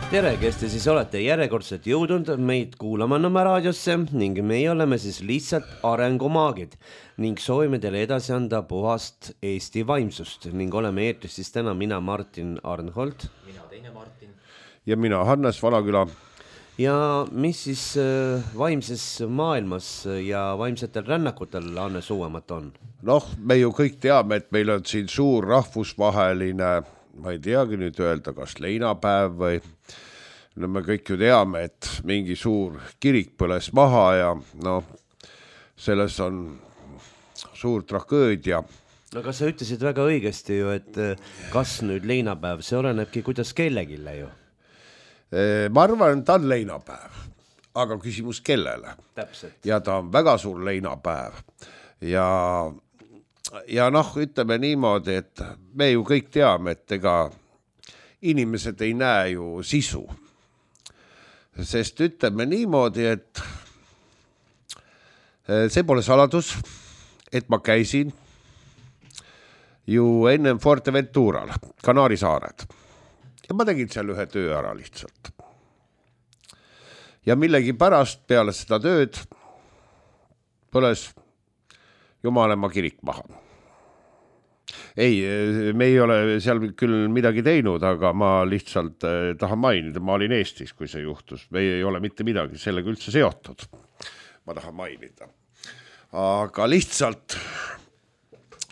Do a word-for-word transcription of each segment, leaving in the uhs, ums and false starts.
Tere, kes te siis olete järjekordselt jõudnud meid kuulama Nõmme raadiosse ning meie oleme siis lihtsalt arengumaagid ning soovime teile edasi anda puhast Eesti vaimsust ning oleme eetris siis täna mina Martin Arnhold. Mina teine Martin. Ja mina Hannes Valaküla. Ja mis siis vaimses maailmas ja vaimsetel rännakutel Hannes uuemat on? Noh, me ju kõik teame, et meil on siin suur rahvusvaheline, ma ei teagi nüüd öelda, kas leinapäev või no me kõik ju teame, et mingi suur kirik põles maha ja no selles on suur tragöödia. No kas sa ütlesid väga õigesti ju, et kas nüüd leinapäev, see olenebki kuidas kellegile ju? Ma arvan, ta on leinapäev, aga küsimus kellele. Täpselt. Ja ta on väga suur leinapäev ja Ja noh, ütleme niimoodi, et me ju kõik teame, et ega inimesed ei näe ju sisu. Sest ütleme niimoodi, et see pole saladus, et ma käisin ju ennem Fuerteventural, Kanaari saared. Ja ma tegin seal ühe töö ära lihtsalt. Ja millegi pärast peale seda tööd põles Jumalema kirik maha. Ei, me ei ole seal küll midagi teinud, aga ma lihtsalt tahan mainida, ma olin Eestis, kui see juhtus. Me ei ole mitte midagi sellega üldse seotud. Ma tahan mainida. Aga lihtsalt,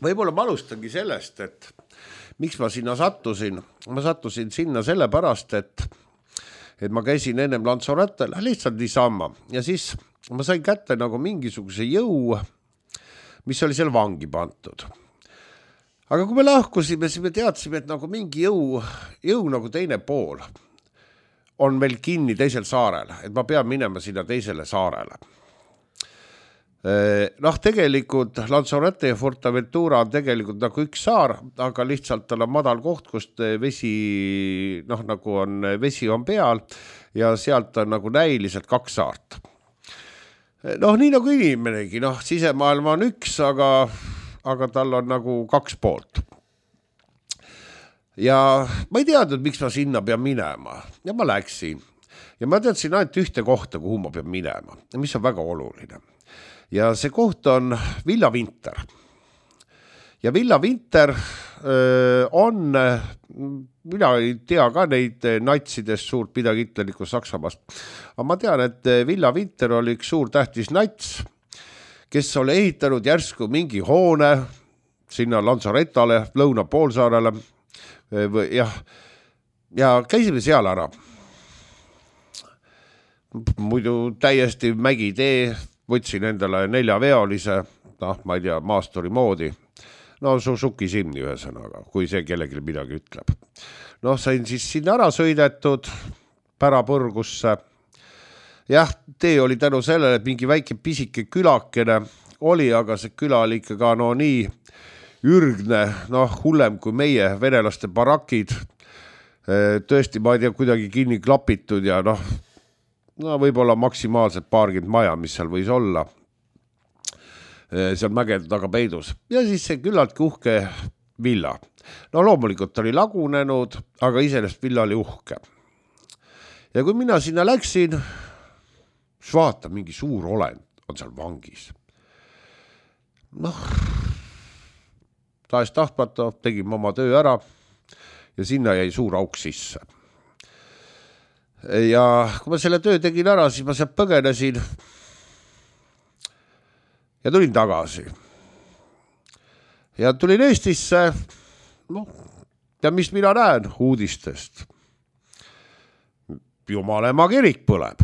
võib-olla ma alustangi sellest, et miks ma sinna sattusin. Ma sattusin sinna sellepärast, et, et ma käisin ennem Lanzarotel, lihtsalt niisama. Ja siis ma sain kätte nagu mingisuguse jõu, mis oli seal vangi pantud. Aga kui me lahkusime, siis me teadsime, et nagu mingi jõu, jõu nagu teine pool on veel kinni teisel saarel, et ma pean minema sinna teisele saarele. Noh, tegelikult Lanzarote ja Fuerteventura on tegelikult nagu üks saar, aga lihtsalt tal on madal koht, kust vesi, noh, nagu on, vesi on peal ja sealt on nagu näiliselt kaks saart. Noh, nii nagu inimenegi, noh, sisemaailma on üks, aga, aga tal on nagu kaks poolt. Ja ma ei teadnud, miks ma sinna pean minema. Ja ma läksin. Ja ma teadsin ainult ühte kohta, kuhu ma pean minema. Ja mis on väga oluline. Ja see koht on Villa Winter. Ja Villa Winter öö, on, mina ei tea ka neid natsidest suurt midagi Hitlerlikku Saksamaast, aga ma tean, et Villa Winter oli üks suur tähtis nats, kes oli ehitanud järsku mingi hoone sinna Lanzaretale, lõuna poolsaarele, ja, ja käisime seal ära. Muidu täiesti mägitee, võtsin endale neljaveolise, noh, ma ei tea, maasturi moodi, no Suzuki Simni ühesõnaga, kui see kellelgi midagi ütleb. Noh, sain siis sinna ära sõidetud Pärapõrgusse. Jah, tee oli tänu sellele, et mingi väike pisike külakene oli, aga see küla oli ikka ka no nii ürgne, noh, hullem kui meie venelaste barakid. Tõesti, ma ei tea, kuidagi kinni klapitud ja noh, no võib-olla maksimaalselt paarkümmend maja, mis seal võis olla. Seal mägede taga peidus. Ja siis see küllalt uhke villa. No loomulikult oli lagunenud, aga iseenesest villa oli uhke. Ja kui mina sinna läksin, siis vaata, mingi suur olend on seal vangis. Noh, taes tahtmata, tegin oma töö ära ja sinna jäi suur auk sisse. Ja kui ma selle töö tegin ära, siis ma sealt põgenesin ja tulin tagasi. Ja tulin Eestisse, noh, ja mis mina näen uudistest? Jumalema kirik põleb.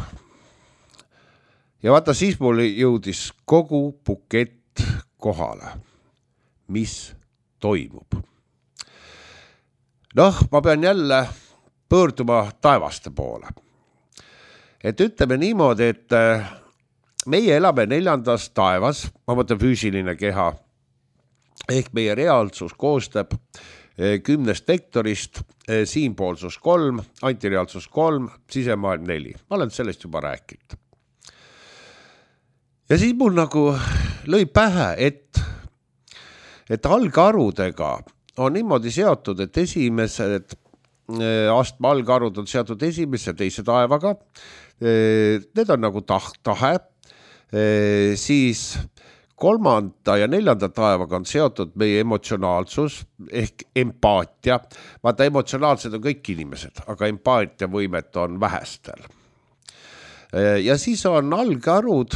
Ja vaata, siis mul jõudis kogu bukett kohale. Mis toimub? Noh, ma pean jälle pöörduma taevaste poole. Et ütleme niimoodi, et meie elame neljandas taevas, ma mõtlen füüsiline keha, ehk meie reaalsus koostab kümnest vektorist, siinpoolsus kolm, antireaalsus kolm, sisemaailm neli. Ma olen sellest juba rääkinud. Ja siis mul nagu lõi pähe, et, et algarudega on niimoodi seotud, et esimesed astme algarud on seatud esimese ja teise taevaga. Need on nagu tah- tahe, siis kolmanda ja neljanda taevaga on seotud meie emotsionaalsus ehk empaatia. Vaata, emotsionaalsed on kõik inimesed, aga empaatiavõimet on vähestel. Ja siis on algarud,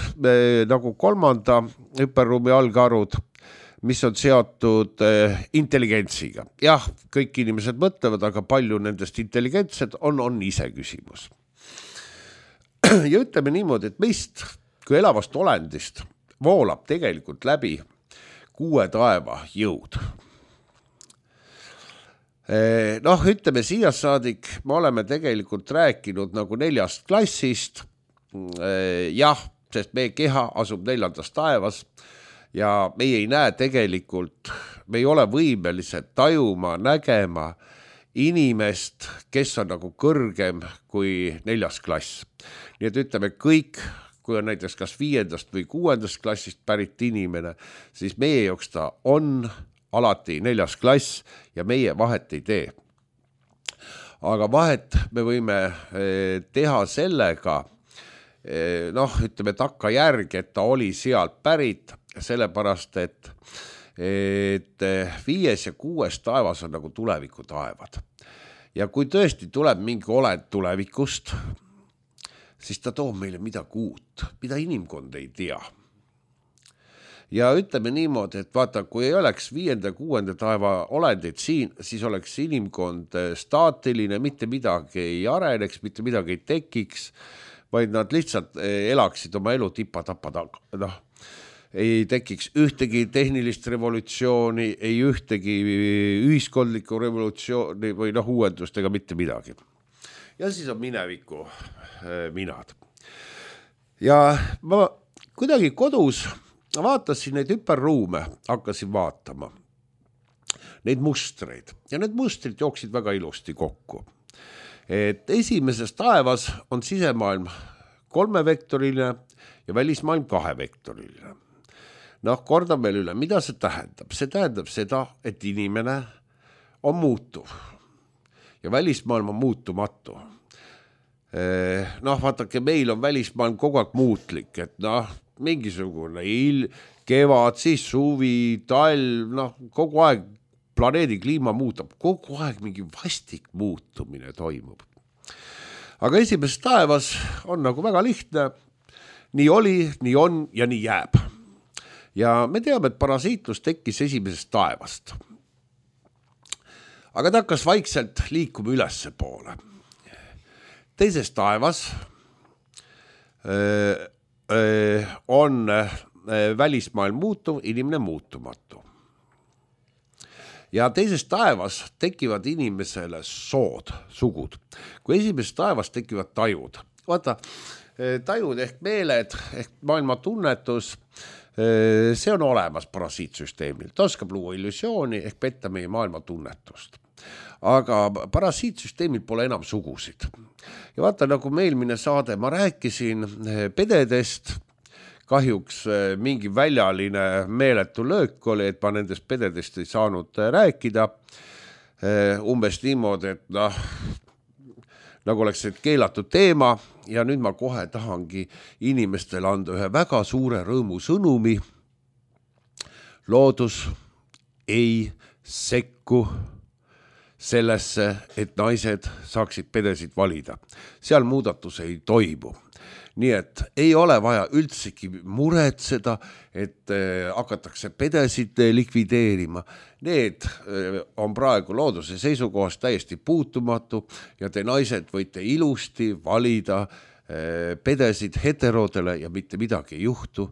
nagu kolmanda hüperruumi algarud, mis on seotud intelligentsiga. Jah, kõik inimesed mõtlevad, aga palju nendest intelligentsed on, on ise küsimus. Ja ütleme niimoodi, et meist kui elavast olendist voolab tegelikult läbi kuue taeva jõud. Noh, ütleme siia saadik, me oleme tegelikult rääkinud nagu neljast klassist. Jah, sest meie keha asub neljandas taevas ja meie ei näe tegelikult, me ei ole võimelised tajuma, nägema inimest, kes on nagu kõrgem kui neljas klass. Nii et ütleme kõik, kui on näiteks kas viiendast või kuuendast klassist pärit inimene, siis meie jaoks ta on alati neljas klass ja meie vahet ei tee. Aga vahet me võime teha sellega, noh, ütleme takka järgi, et ta oli sealt pärit, sellepärast, et, et viies ja kuues taevas on nagu tuleviku taevad. Ja kui tõesti tuleb mingi olend tulevikust, siis ta toob meile midagi uut, mida inimkond ei tea. Ja ütleme niimoodi, et vaata, kui ei oleks viienda ja kuuenda taeva olendid siin, siis oleks inimkond staatiline, mitte midagi ei areneks, mitte midagi ei tekiks, vaid nad lihtsalt elaksid oma elu tipa-tapa taga. Noh, ei tekiks ühtegi tehnilist revolutsiooni, ei ühtegi ühiskondlikku revolutsiooni või noh, uuendust ega mitte midagi. Ja siis on mineviku minad. Ja ma kuidagi kodus vaatasin neid hüperruume, hakkasin vaatama neid mustreid ja need mustrid jooksid väga ilusti kokku. Et esimeses taevas on sisemaailm kolmevektoriline ja välismaailm kahevektoriline. Noh, kordan veel üle, mida see tähendab? See tähendab seda, et inimene on muutuv ja välismaailm on muutumatu. Noh, vaatake, meil on välismaailm kogu aeg muutlik, et noh, mingisugune il, kevad, siis suvi, talv, noh, kogu aeg planeedi kliima muutub, kogu aeg mingi vastik muutumine toimub. Aga esimeses taevas on nagu väga lihtne, nii oli, nii on ja nii jääb. Ja me teame, et parasiitlus tekkis esimesest taevast. Aga ta hakkas vaikselt liikuma ülesse poole. Teises taevas öö, öö, on öö, välismaailm muutuv, inimene muutumatu. Ja teises taevas tekivad inimesele sood, sugud. Kui esimeses taevas tekivad tajud. Vaata, tajud ehk meeled, ehk maailma tunnetus, see on olemas parasiitsüsteemil. Ta oskab luua illusiooni ehk petta meie maailma tunnetust. Aga parasiitsüsteemil pole enam sugusid. Ja vaata, nagu meil mine saade, ma rääkisin pededest, kahjuks mingi väljaline meeletu löök oli, et ma nendest pededest ei saanud rääkida. Umbes niimoodi, et noh, nagu oleks see keelatud teema ja nüüd ma kohe tahangi inimestele anda ühe väga suure rõõmu sõnumi. Loodus ei sekku sellesse, et naised saaksid pedesid valida. Seal muudatus ei toimu. Nii et ei ole vaja üldsegi muretseda, et hakatakse pedesid likvideerima. Need on praegu looduse seisukohast täiesti puutumatu ja te naised võite ilusti valida pedesid heterodele ja mitte midagi ei juhtu.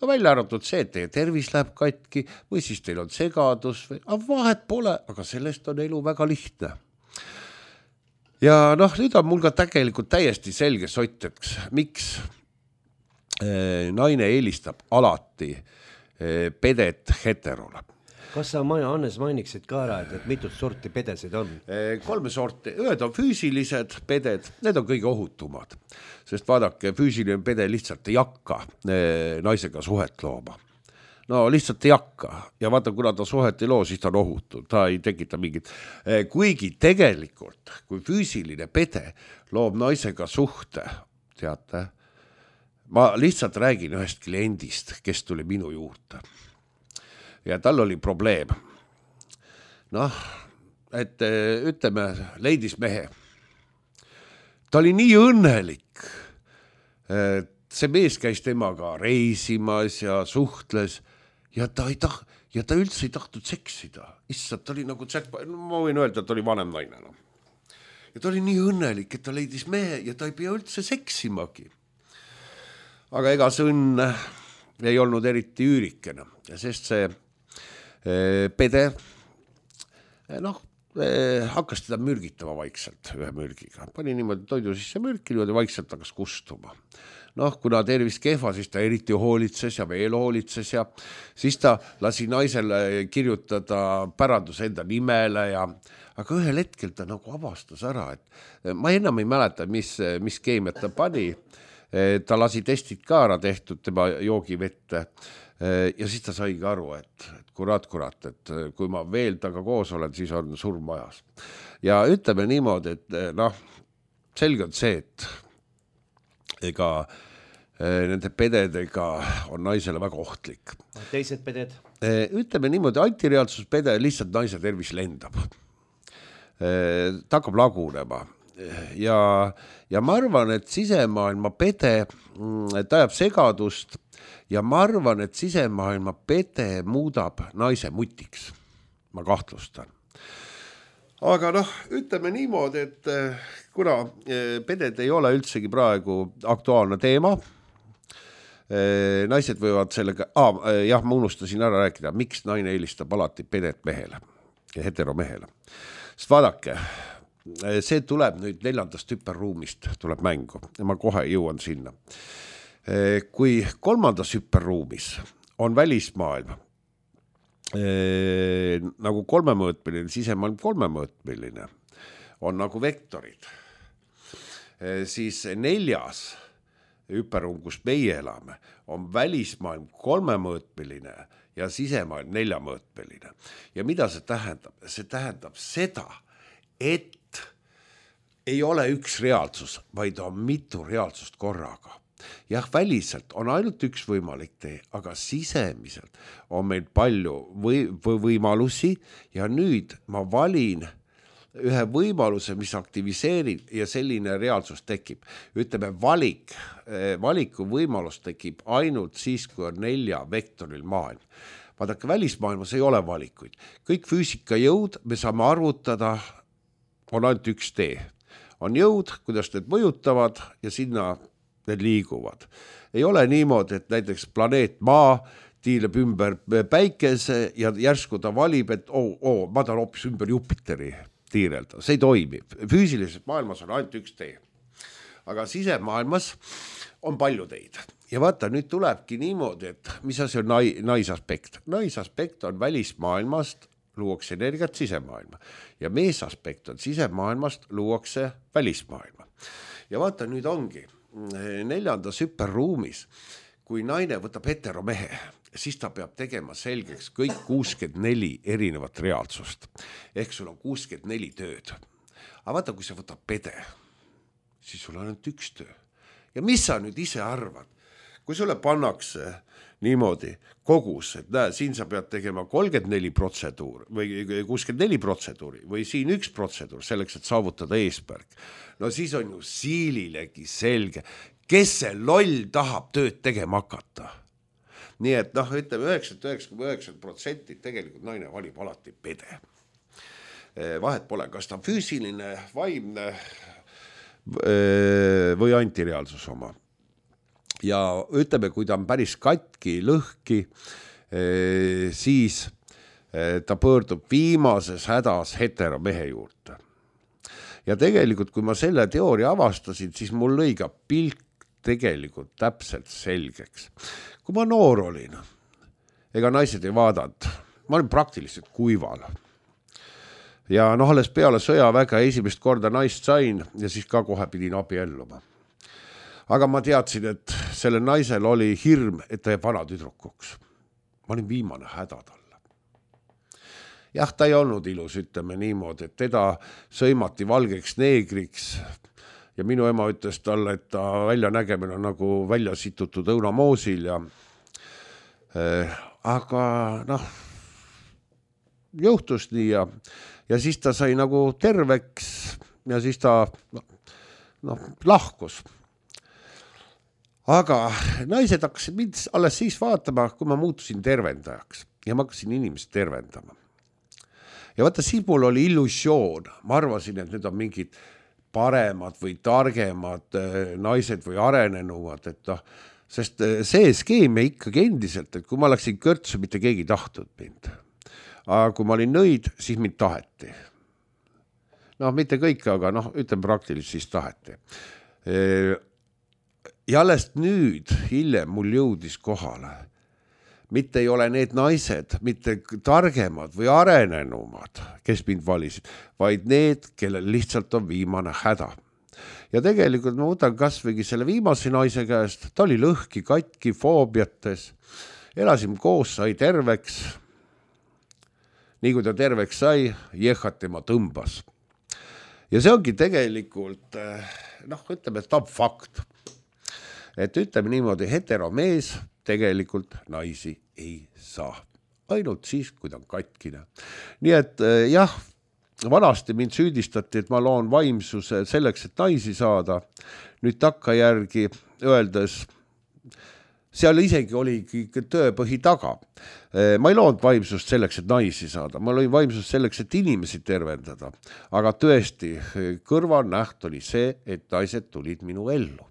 No välja arvatud see, et teie tervis läheb katki või siis teil on segadus või aga vahet pole, aga sellest on elu väga lihtne. Ja noh, nüüd on mul ka tegelikult täiesti selge sott, et miks naine eelistab alati pedet heterole. Kas sa, Hannes, mainiksid ka ära, et mitut sorti pedesid on? Kolme sorti. Ühed on füüsilised peded, need on kõige ohutumad. Sest vaadake, füüsiline pede lihtsalt ei hakka naisega suhet looma. no lihtsalt ei hakka ja vaata, kuna ta suhet ei loo, siis ta on ohutu, ta ei tekita mingit, kuigi tegelikult, kui füüsiline pede loob naisega suhte, teate, ma lihtsalt räägin ühest kliendist, kes tuli minu juurde ja tal oli probleem. Noh, et ütleme, leidis mehe. Ta oli nii õnnelik, et see mees käis temaga reisimas ja suhtles ja ta, ei tah- ja ta üldse ei tahtnud seksida. Issand, ta oli nagu tsäkpa, no, ma võin öelda, et ta oli vanem naine. No. Ja ta oli nii õnnelik, et ta leidis mehe ja ta ei pea üldse seksimagi. Aga ega see õnn ei olnud eriti üürikene, sest see eh, pede noh, eh, hakkas teda mürgitama vaikselt ühe mürgiga. Pani niimoodi toidu sisse mürki, niimoodi vaikselt hakkas kustuma. Noh, kuna tervis kehva, siis ta eriti hoolitses ja veel hoolitses ja siis ta lasi naisele kirjutada pärandus enda nimele ja aga ühel hetkel ta nagu avastas ära, et ma enam ei mäleta, mis, mis keemiat ta pani. Ta lasi testid ka ära tehtud tema joogivette ja siis ta saigi aru, et, et kurat, kurat, et kui ma veel taga koos olen, siis on surm majas. Ja ütleme niimoodi, et noh, selge on see, et ega nende pededega on naisele väga ohtlik. Teised peded? Ütleme niimoodi, antireaalsuspede lihtsalt naise tervis lendab. Ta hakkab lagunema. Ja, ja ma arvan, et sisemaailma pede ta ajab segadust ja ma arvan, et sisemaailma pede muudab naise mutiks. Ma kahtlustan. Aga noh, ütleme niimoodi, et kuna peded ei ole üldsegi praegu aktuaalne teema, naised võivad sellega, ah, jah, ma unustasin ära rääkida, miks naine eelistab alati pedet mehele ja heteromehele. Sest vaadake, see tuleb nüüd neljandast hüperruumist, tuleb mängu ja ma kohe jõuan sinna. Kui kolmandas hüperruumis on välismaailm, Ee, nagu kolmemõõtmeline, sisemaailm kolmemõõtmeline on nagu vektorid, ee, siis neljas hüperruum, kus meie elame, on välismaailm kolmemõõtmeline ja sisemaailm neljamõõtmeline. Ja mida see tähendab? See tähendab seda, et ei ole üks reaalsus, vaid on mitu reaalsust korraga. Jah, väliselt on ainult üks võimalik tee, aga sisemiselt on meil palju või, või võimalusi ja nüüd ma valin ühe võimaluse, mis aktiviseerib ja selline reaalsus tekib. Ütleme, valik, valiku võimalus tekib ainult siis, kui on nelja vektoril maailm. Vaadake, välismaailmas ei ole valikuid. Kõik füüsikajõud me saame arvutada, on ainult üks tee. On jõud, kuidas need mõjutavad ja sinna need liiguvad. Ei ole niimoodi, et näiteks planeet Maa tiileb ümber päikese ja järsku ta valib, et oo, oo, ma tahan hoopis ümber Jupiteri tiirelda. See ei toimi. Füüsilises maailmas on ainult üks tee. Aga sisemaailmas on palju teid. Ja vaata, nüüd tulebki niimoodi, et mis asi on nai, naisaspekt. Naisaspekt on välismaailmast luuakse energiat sisemaailma ja meesaspekt on sisemaailmast luuakse välismaailma. Ja vaata, nüüd ongi neljandas hüperruumis, kui naine võtab heteromehe, siis ta peab tegema selgeks kõik kuuskümmend neli erinevat reaalsust. Ehk sul on kuuskümmend neli tööd. Aga vaata, kui sa võtab pede, siis sul on ainult üks töö. Ja mis sa nüüd ise arvad? Kui sulle pannakse niimoodi kogus, et näe, siin sa pead tegema kolmkümmend neli protseduuri või kuuskümmend neli protseduuri või siin üks protseduur selleks, et saavutada eesmärk. No siis on ju siililegi selge, kes see loll tahab tööd tegema hakata. Nii et noh, ütleme üheksakümmend üheksa koma üheksa protsenti tegelikult naine valib alati pede. Vahet pole, kas ta füüsiline, vaimne või antireaalsus oma. Ja ütleme, kui ta on päris katki, lõhki, siis ta pöördub viimases hädas heteromehe juurde. Ja tegelikult, kui ma selle teooria avastasin, siis mul lõi ka pilk tegelikult täpselt selgeks. Kui ma noor olin, ega naised ei vaadanud, ma olin praktiliselt kuival. Ja noh, alles peale sõjaväge esimest korda naist sain ja siis ka kohe pidin abielluma. Aga ma teadsin, et selle naisel oli hirm, et ta jääb vana tüdrukuks. ma olin viimane häda talle. Jah, ta ei olnud ilus, ütleme niimoodi, et teda sõimati valgeks neegriks ja minu ema ütles talle, et ta väljanägemine on nagu välja situtud õunamoosil ja äh, aga noh, juhtus nii ja, ja siis ta sai nagu terveks ja siis ta noh, lahkus. Aga naised hakkasid mind alles siis vaatama, kui ma muutusin tervendajaks ja ma hakkasin inimest tervendama. Ja vaata, siis mul oli illusioon. Ma arvasin, et need on mingid paremad või targemad naised või arenenumad, et noh, sest see skeem ikkagi endiselt, et kui ma läksin kõrtsu, mitte keegi tahtnud mind. Aga kui ma olin nõid, siis mind taheti. Noh, mitte kõik, aga noh, ütlen praktiliselt, siis taheti. Ja alles nüüd, hiljem mul jõudis kohale. Mitte ei ole need naised, mitte targemad või arenenumad, kes mind valisid, vaid need, kellel lihtsalt on viimane häda. Ja tegelikult ma võtan kasvõigi selle viimase naise käest, ta oli lõhki, katki, foobiates, elasin koos, sai terveks. Nii kui ta terveks sai, jehhat tema tõmbas. Ja see ongi tegelikult, noh, ütleme, et ta on fakt. Et ütleme niimoodi, heteromees tegelikult naisi ei saa. Ainult siis, kui ta on katkine. Nii et jah, vanasti mind süüdistati, et ma loon vaimsuse selleks, et naisi saada. Nüüd takka järgi öeldes, seal isegi oligi tööpõhi taga. Ma ei loonud vaimsust selleks, et naisi saada. Ma lõin vaimsust selleks, et inimesi tervendada. Aga tõesti, kõrvalnäht oli see, et naised tulid minu ellu.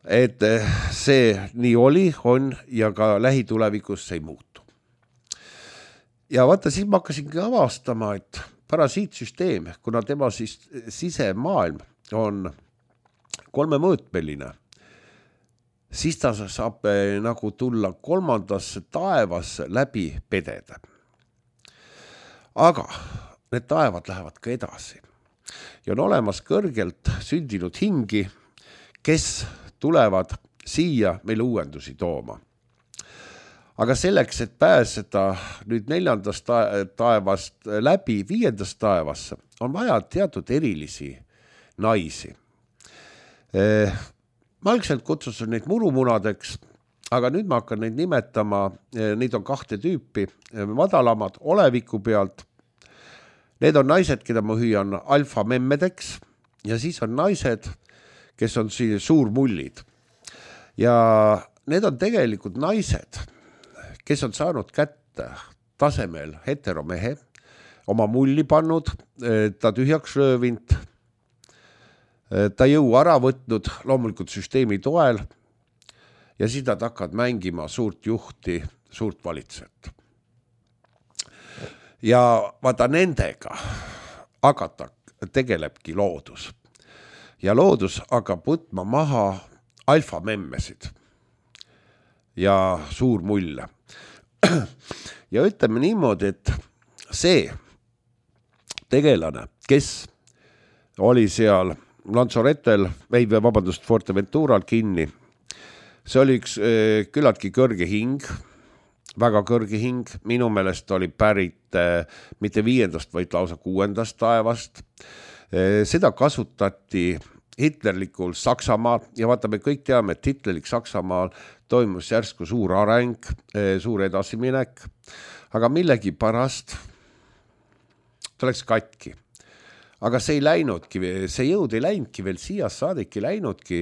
Et see nii oli, on ja ka lähitulevikus see ei muutu. Ja vaata, siis ma hakkasingi avastama, et parasiitsüsteem, kuna tema siis sisemaailm on kolmemõõtmeline, siis ta saab nagu tulla kolmandasse taevasse läbi pedede. Aga need taevad lähevad ka edasi. Ja on olemas kõrgelt sündinud hingi, kes tulevad siia meil uuendusi tooma. Aga selleks, et pääseda nüüd neljandast taevast läbi viiendast taevasse, on vaja teatud erilisi naisi. Ma algselt kutsusin neid murumunadeks, aga nüüd ma hakkan neid nimetama, neid on kahte tüüpi, madalamad oleviku pealt. Need on naised, keda ma hüüan alfamemmedeks ja siis on naised, kes on siin suurmullid. Ja need on tegelikult naised, kes on saanud kätte tasemel heteromehe, oma mulli pannud, ta tühjaks röövinud, ta jõu ära võtnud loomulikult süsteemi toel ja siis nad hakkavad mängima suurt juhti, suurt valitsejat. Ja vaata nendega hakata tegelebki loodus. Ja loodus hakkab võtma maha alfamemmesid ja suurmulle. Ja ütleme niimoodi, et see tegelane, kes oli seal Lanzarotel, või vabandust, Fuerteventural kinni, see oli üks küllaltki kõrge hing, väga kõrge hing, minu meelest oli pärit mitte viiendast, vaid lausa kuuendast taevast. Seda kasutati hitlerlikul Saksamaal ja vaata, me kõik teame, et hitlerlik Saksamaal toimus järsku suur areng, suur edasiminek, aga millegi pärast ta läks katki. Aga see ei läinudki, see jõud ei läinudki veel siia saadik ei läinudki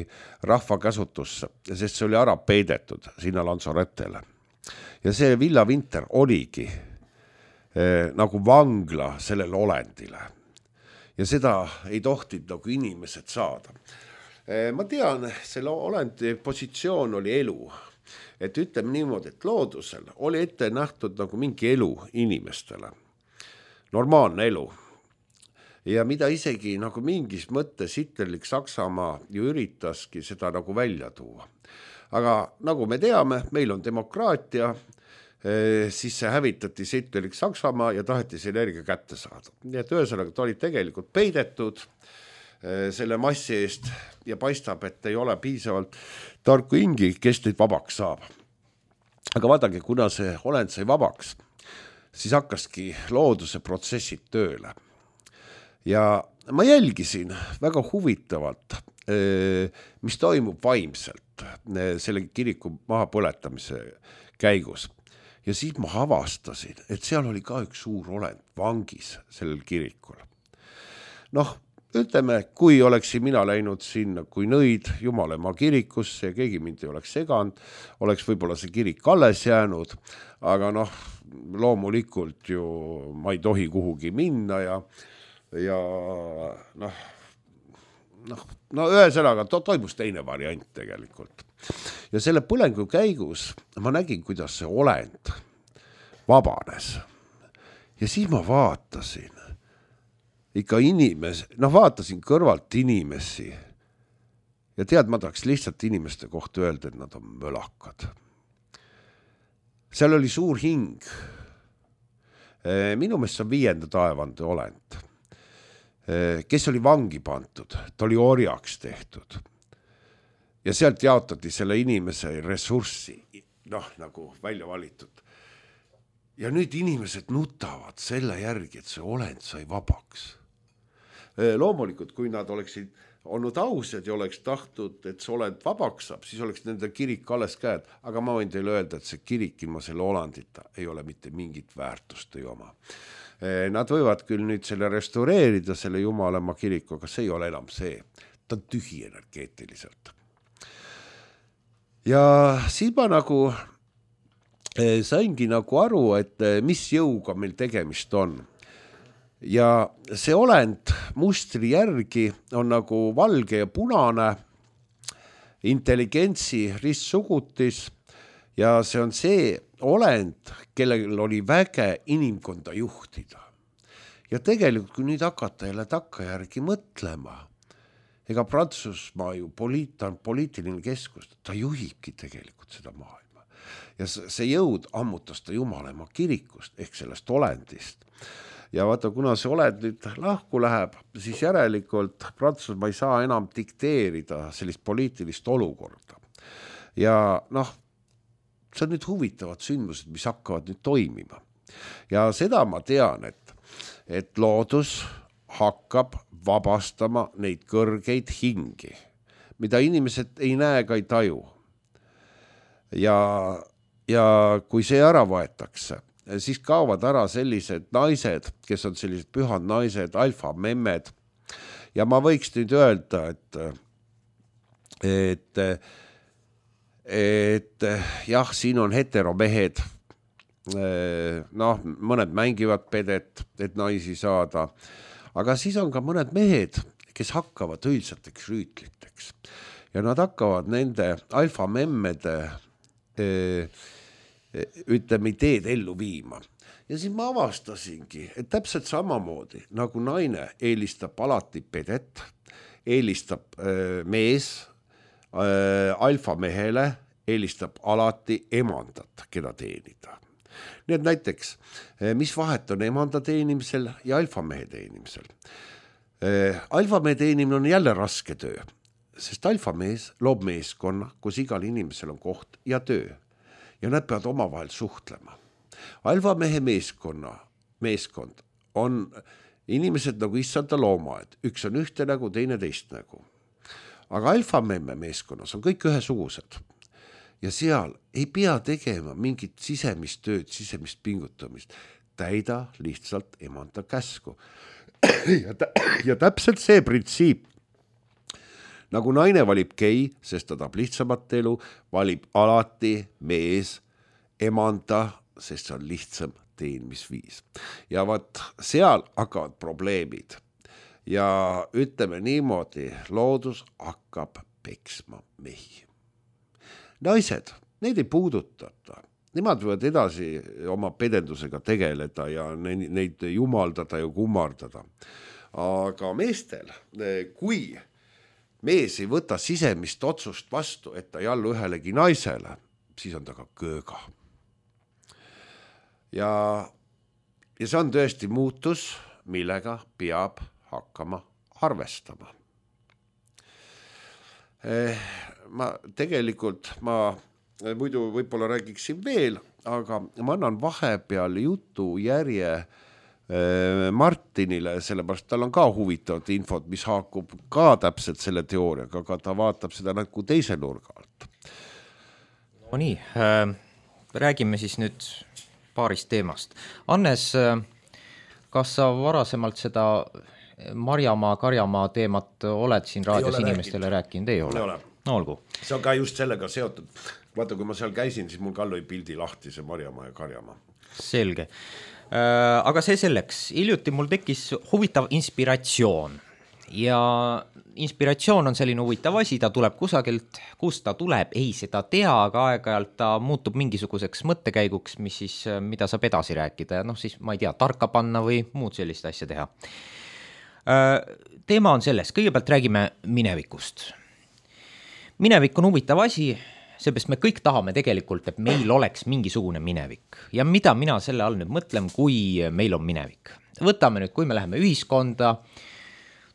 rahva käsutusse, sest see oli ära peidetud sinna Lanzaretele. Ja see Villa Winter oligi eh, nagu vangla sellele olendile. Ja seda ei tohtid nagu inimesed saada. Ma tean, selle olendi positsioon oli elu. Et ütleme niimoodi, et loodusel oli ette nähtud nagu mingi elu inimestele. Normaalne elu. Ja mida isegi nagu mingis mõttes hitlerlik Saksamaa ju üritaski seda nagu välja tuua. Aga nagu me teame, meil on demokraatia, siis see hävitati hitlerlik Saksamaa ja taheti see energia kätte saada. Nii et ühesõnaga, ta oli tegelikult peidetud selle massi eest ja paistab, et ei ole piisavalt tarku hingi, kes neid vabaks saab. aga vaadake, kuna see olend sai vabaks, siis hakkaski looduse protsessid tööle. Ja ma jälgisin väga huvitavalt, mis toimub vaimselt selle kiriku mahapõletamise käigus. Ja siis ma avastasin, et seal oli ka üks suur olend vangis sellel kirikul. Noh, ütleme, kui oleksin mina läinud sinna kui nõid Jumalemaa kirikusse ja keegi mind ei oleks seganud, oleks võib-olla see kirik alles jäänud, aga noh, loomulikult ju ma ei tohi kuhugi minna ja, ja noh, noh, no ühesõnaga to toimus teine variant tegelikult. Ja selle põlengu käigus ma nägin, kuidas see olend vabanes. Ja siis ma vaatasin ikka inimesi, noh vaatasin kõrvalt inimesi ja tead, ma tahaks lihtsalt inimeste kohta öelda, et nad on mölakad. Seal oli suur hing. Minu meelest on viienda taevande olend, kes oli vangi pantud, ta oli orjaks tehtud. Ja sealt jaotati selle inimese ressurssi, noh, nagu välja valitud. Ja nüüd inimesed nutavad selle järgi, et see olend sai vabaks. Loomulikult, kui nad oleksid olnud ausad ja oleks tahtnud, et see olend vabaks saab, siis oleks nende kirik alles käed. Aga ma võin teile öelda, et see kirik ilma selle olandita ei ole mitte mingit väärtust ei oma. Nad võivad küll nüüd selle restaureerida, selle Jumalemaa kiriku, aga see ei ole enam see. Ta on tühi energeetiliselt. Ja siis ma nagu saingi nagu aru, et mis jõuga meil tegemist on. Ja see olend mustri järgi on nagu valge ja punane, intelligentsi ristsugutis ja see on see olend, kellel oli väge inimkonda juhtida. Ja tegelikult, kui nüüd hakata jälle takka järgi mõtlema, ega Prantsusmaa ju poliit, on poliitiline keskus, ta juhibki tegelikult seda maailma. Ja see jõud ammutas ta Jumalemaa kirikust ehk sellest olendist. Ja vaata, kuna see olend nüüd lahku läheb, siis järelikult Prantsusmaa ei saa enam dikteerida sellist poliitilist olukorda. Ja noh, see on nüüd huvitavad sündmused, mis hakkavad nüüd toimima. Ja seda ma tean, et, et loodus hakkab vabastama neid kõrgeid hingi, mida inimesed ei näe ega ei taju. Ja, ja kui see ära võetakse, siis kaovad ära sellised naised, kes on sellised pühad naised, alfamemmed. Ja ma võiks nüüd öelda, et, et, et jah, siin on heteromehed, noh, mõned mängivad pedet, et naisi saada, aga siis on ka mõned mehed, kes hakkavad õilsateks rüütliteks ja nad hakkavad nende alfamemmede ütleme ideed ellu viima. Ja siis ma avastasingi, et täpselt samamoodi, nagu naine eelistab alati pedet, eelistab mees alfamehele, eelistab alati emandat, keda teenida. Nii et näiteks, mis vahet on emanda teenimisel ja alfamehe teenimisel? Alfamehe teenimine on jälle raske töö, sest alfamees loob meeskonna, kus igal inimesel on koht ja töö. Ja nad peavad omavahel suhtlema. Alfamehe meeskonna, meeskond on inimesed nagu issanda loomad. Üks on ühte nägu, teine teist nägu. Aga alfamemme meeskonnas on kõik ühesugused. Ja seal ei pea tegema mingit sisemist tööd, sisemist pingutamist. Täida lihtsalt emanda käsku. ja, tä ja täpselt see printsiip, nagu naine valib gei, sest ta tahab lihtsamat elu, valib alati mees emanda, sest see on lihtsam teenmisviis. Ja vaat seal hakkavad probleemid. Ja ütleme niimoodi, loodus hakkab peksma mehi. Naised, neid ei puudutata. Nemad võivad edasi oma pedendusega tegeleda ja neid jumaldada ja kummardada. Aga meestel, kui mees ei võta sisemist otsust vastu, et ta ei allu ühelegi naisele, siis on ta ka kööga. Ja, ja see on tõesti muutus, millega peab hakkama arvestama. Ma tegelikult ma muidu võib-olla räägiksin veel, aga ma annan vahepeal jutu järje Martinile, sellepärast tal on ka huvitavat infot, mis haakub ka täpselt selle teooriaga, aga ta vaatab seda nagu teise nurga alt. No nii, äh, räägime siis nüüd paarist teemast. Annes, äh, kas sa varasemalt seda Marjamaa, Karjamaa teemat oled siin raadios inimestele rääkinud? Ei ole. Ei ole. No olgu. See on ka just sellega seotud. Vaata, kui ma seal käisin, siis mul ka lõi pildi lahti see Marjamaa ja Karjamaa. Selge. Aga see selleks, hiljuti mul tekkis huvitav inspiratsioon ja inspiratsioon on selline huvitav asi, ta tuleb kusagilt, kust ta tuleb, ei seda tea, aga aeg-ajalt ta muutub mingisuguseks mõttekäiguks, mis siis, mida saab edasi rääkida ja noh siis ma ei tea, tarka panna või muud sellist asja teha. Teema on selles, kõigepealt räägime minevikust. Minevik on huvitav asi, seepärast me kõik tahame tegelikult, et meil oleks mingisugune minevik. Ja mida mina selle all nüüd mõtlen, kui meil on minevik? Võtame nüüd, kui me läheme ühiskonda,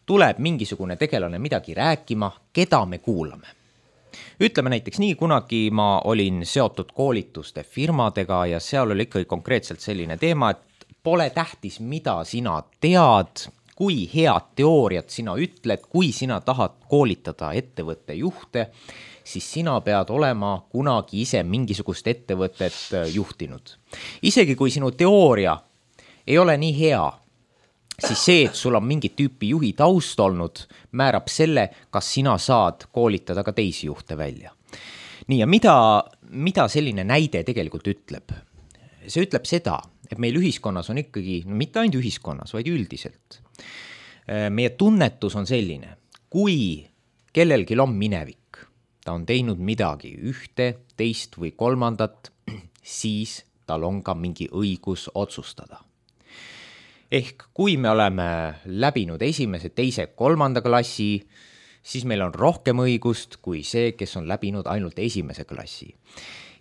tuleb mingisugune tegelane midagi rääkima, keda me kuulame. Ütleme näiteks nii, kunagi ma olin seotud koolituste firmadega ja seal oli ikkagi konkreetselt selline teema, et pole tähtis, mida sina tead, kui head teooriat sina ütled, kui sina tahad koolitada ettevõtte juhte, siis sina pead olema kunagi ise mingisugust ettevõtet juhtinud. Isegi kui sinu teooria ei ole nii hea, siis see, et sul on mingi tüüpi juhi taust olnud, määrab selle, kas sina saad koolitada ka teisi juhte välja. Nii, ja mida, mida selline näide tegelikult ütleb? See ütleb seda, et meil ühiskonnas on ikkagi, no mitte ainult ühiskonnas, vaid üldiselt. Meie tunnetus on selline, kui kellelgi on minevik, ta on teinud midagi ühte, teist või kolmandat, siis tal on ka mingi õigus otsustada. Ehk kui me oleme läbinud esimese, teise, kolmanda klassi, siis meil on rohkem õigust kui see, kes on läbinud ainult esimese klassi.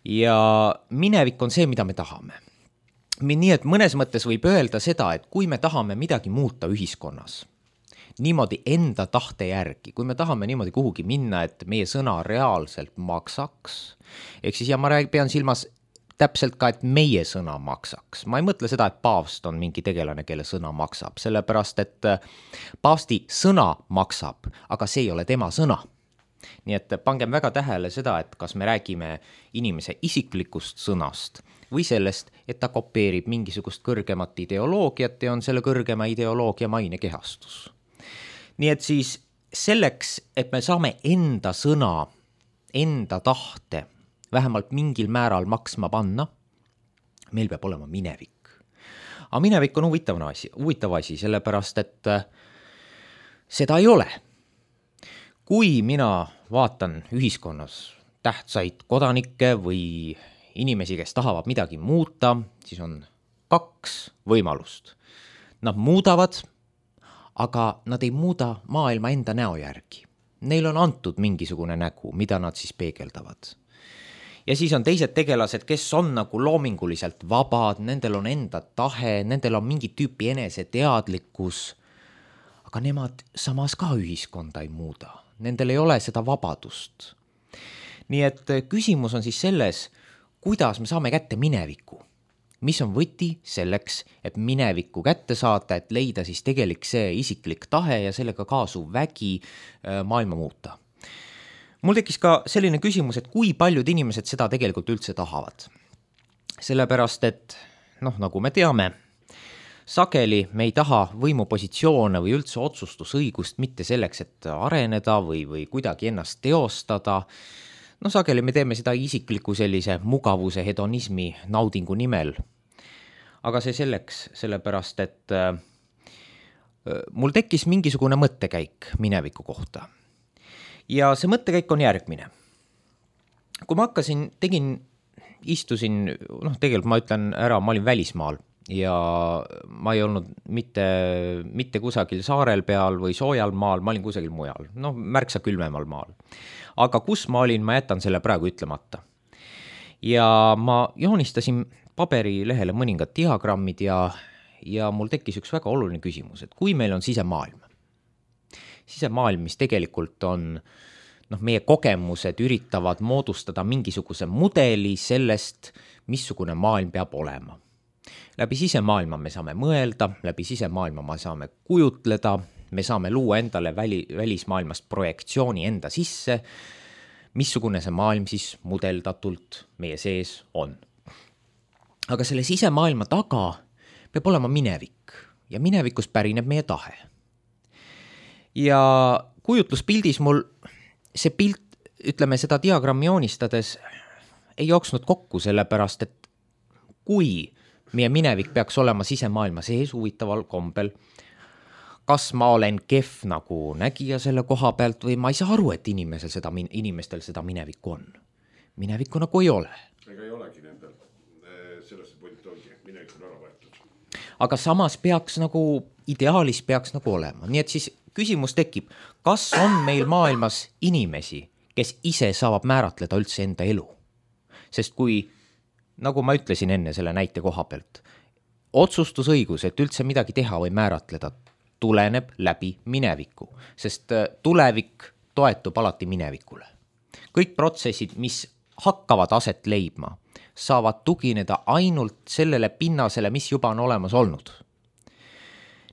Ja minevik on see, mida me tahame. Nii et mõnes mõttes võib öelda seda, et kui me tahame midagi muuta ühiskonnas, niimoodi enda tahte järgi, kui me tahame niimoodi kuhugi minna, et meie sõna reaalselt maksaks, ehk siis ja ma pean silmas täpselt ka, et meie sõna maksaks. Ma ei mõtle seda, et paavst on mingi tegelane, kelle sõna maksab, sellepärast, et paavsti sõna maksab, aga see ei ole tema sõna. Nii et pangem väga tähele seda, et kas me räägime inimese isiklikust sõnast või sellest, et ta kopeerib mingisugust kõrgemat ideoloogiat ja on selle kõrgema ideoloogia maine kehastus. Nii et siis selleks, et me saame enda sõna, enda tahte vähemalt mingil määral maksma panna, meil peab olema minevik. Aga minevik on huvitav asi, huvitav asi, sellepärast, et seda ei ole. Kui mina vaatan ühiskonnas tähtsaid kodanikke või inimesi, kes tahavad midagi muuta, siis on kaks võimalust. Nad muudavad, aga nad ei muuda maailma enda näo järgi. Neil on antud mingisugune nägu, mida nad siis peegeldavad. Ja siis on teised tegelased, kes on nagu loominguliselt vabad, nendel on enda tahe, nendel on mingi tüüpi enese teadlikkus, aga nemad samas ka ühiskonda ei muuda. Nendel ei ole seda vabadust. Nii et küsimus on siis selles, kuidas me saame kätte mineviku. Mis on võti selleks, et mineviku kätte saada, et leida siis tegelik see isiklik tahe ja sellega kaasuv vägi maailma muuta. Mul tekkis ka selline küsimus, et kui paljud inimesed seda tegelikult üldse tahavad. Sellepärast, et noh, nagu me teame, sageli me ei taha võimupositsioone või üldse otsustusõigust mitte selleks, et areneda või, või kuidagi ennast teostada. No sageli me teeme seda isikliku sellise mugavuse hedonismi naudingu nimel. Aga see selleks, sellepärast, et äh, mul tekkis mingisugune mõttekäik mineviku kohta. Ja see mõttekäik on järgmine. Kui ma hakkasin, tegin, istusin, noh tegelikult ma ütlen ära, ma olin välismaal ja ma ei olnud mitte, mitte kusagil saarel peal või soojal maal, ma olin kusagil mujal, noh märksa külmemal maal. Aga kus ma olin, ma jätan selle praegu ütlemata. Ja ma joonistasin paberilehele mõningad diagrammid ja, ja mul tekkis üks väga oluline küsimus, et kui meil on sisemaailm, sisemaailm, mis tegelikult on noh, meie kogemused üritavad moodustada mingisuguse mudeli sellest, missugune maailm peab olema. Läbi sisemaailma me saame mõelda, läbi sisemaailma me saame kujutleda, me saame luua endale väli, välismaailmast projektsiooni enda sisse, missugune see maailm siis mudeldatult meie sees on. Aga selle sisemaailma taga peab olema minevik ja minevikust pärineb meie tahe. Ja kujutluspildis mul see pilt, ütleme seda diagrammi joonistades, ei jooksnud kokku sellepärast, et kui meie minevik peaks olema sisemaailma sees huvitaval kombel, kas ma olen kehv nagu nägija selle koha pealt või ma ei saa aru, et inimesel seda, inimestel seda minevikku on. Minevikku nagu ei ole. Ega ei olegi nendel. Sellest point ongi, minevik on ära võetud. Aga samas peaks nagu, ideaalis peaks nagu olema. Nii et siis küsimus tekib, kas on meil maailmas inimesi, kes ise saavad määratleda üldse enda elu? Sest kui, nagu ma ütlesin enne selle näite koha pealt, otsustusõigus, et üldse midagi teha või määratleda, tuleneb läbi mineviku, sest tulevik toetub alati minevikule. Kõik protsessid, mis hakkavad aset leidma, saavad tugineda ainult sellele pinnasele, mis juba on olemas olnud.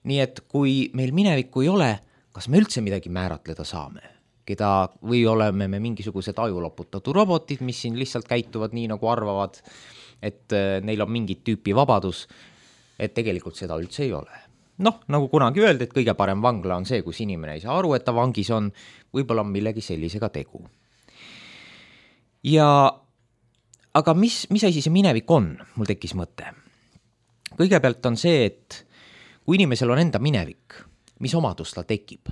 Nii et kui meil minevikku ei ole, kas me üldse midagi määratleda saame? Keda, või oleme me mingisugused ajuloputatud robotid, mis siin lihtsalt käituvad nii, nagu arvavad, et neil on mingit tüüpi vabadus, et tegelikult seda üldse ei ole. Noh, nagu kunagi öeldi, et kõige parem vangla on see, kus inimene ei saa aru, et ta vangis on, võib-olla on millegi sellisega tegu. Ja, aga mis, mis asi see minevik on? Mul tekkis mõte. Kõigepealt on see, et kui inimesel on enda minevik, mis omadus ta tekib?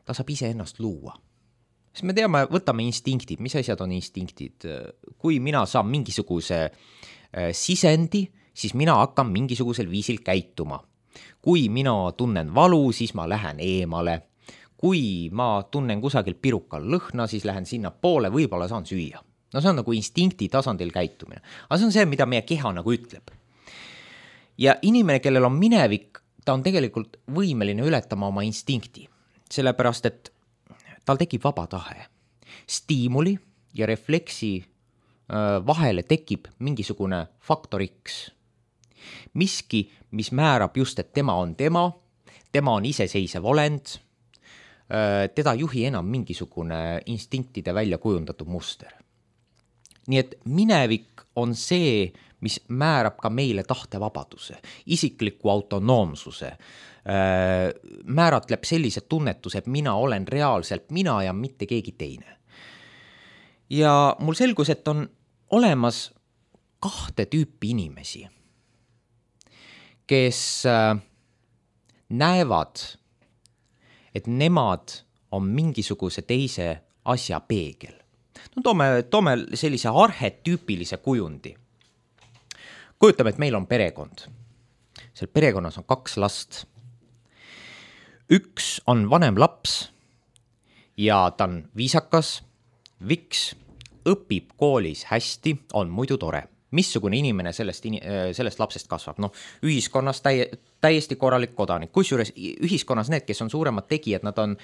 Ta saab ise ennast luua. Sest me teame, võtame instinktid, mis asjad on instinktid. Kui mina saan mingisuguse sisendi, siis mina hakkan mingisugusel viisil käituma. Kui mina tunnen valu, siis ma lähen eemale. Kui ma tunnen kusagil pirukal lõhna, siis lähen sinna poole, võib-olla saan süüa. No see on nagu instinkti tasandil käitumine. Aga see on see, mida meie keha nagu ütleb. Ja inimene, kellel on minevik, ta on tegelikult võimeline ületama oma instinkti. Sellepärast, et tal tekib vaba tahe. Stiimuli ja refleksi vahele tekib mingisugune faktor X. Miski, mis määrab just, et tema on tema, tema on iseseisev olend, teda juhi enam mingisugune instinktide välja kujundatud muster. Nii et minevik on see, mis määrab ka meile tahtevabaduse, isikliku autonoomsuse, määratleb sellised tunnetused, mina olen reaalselt mina ja mitte keegi teine. Ja mul selgus, et on olemas kahte tüüpi inimesi, kes näevad, et nemad on mingisuguse teise asja peegel. No, toome, toome sellise arhetüüpilise kujundi. Kujutame, et meil on perekond. Seal perekonnas on kaks last. Üks on vanem laps ja ta on viisakas, viks, õpib koolis hästi, on muidu tore. Missugune inimene sellest, sellest lapsest kasvab? No, ühiskonnas täie, täiesti korralik kodanik. Kusjuures ühiskonnas need, kes on suuremad tegijad, nad on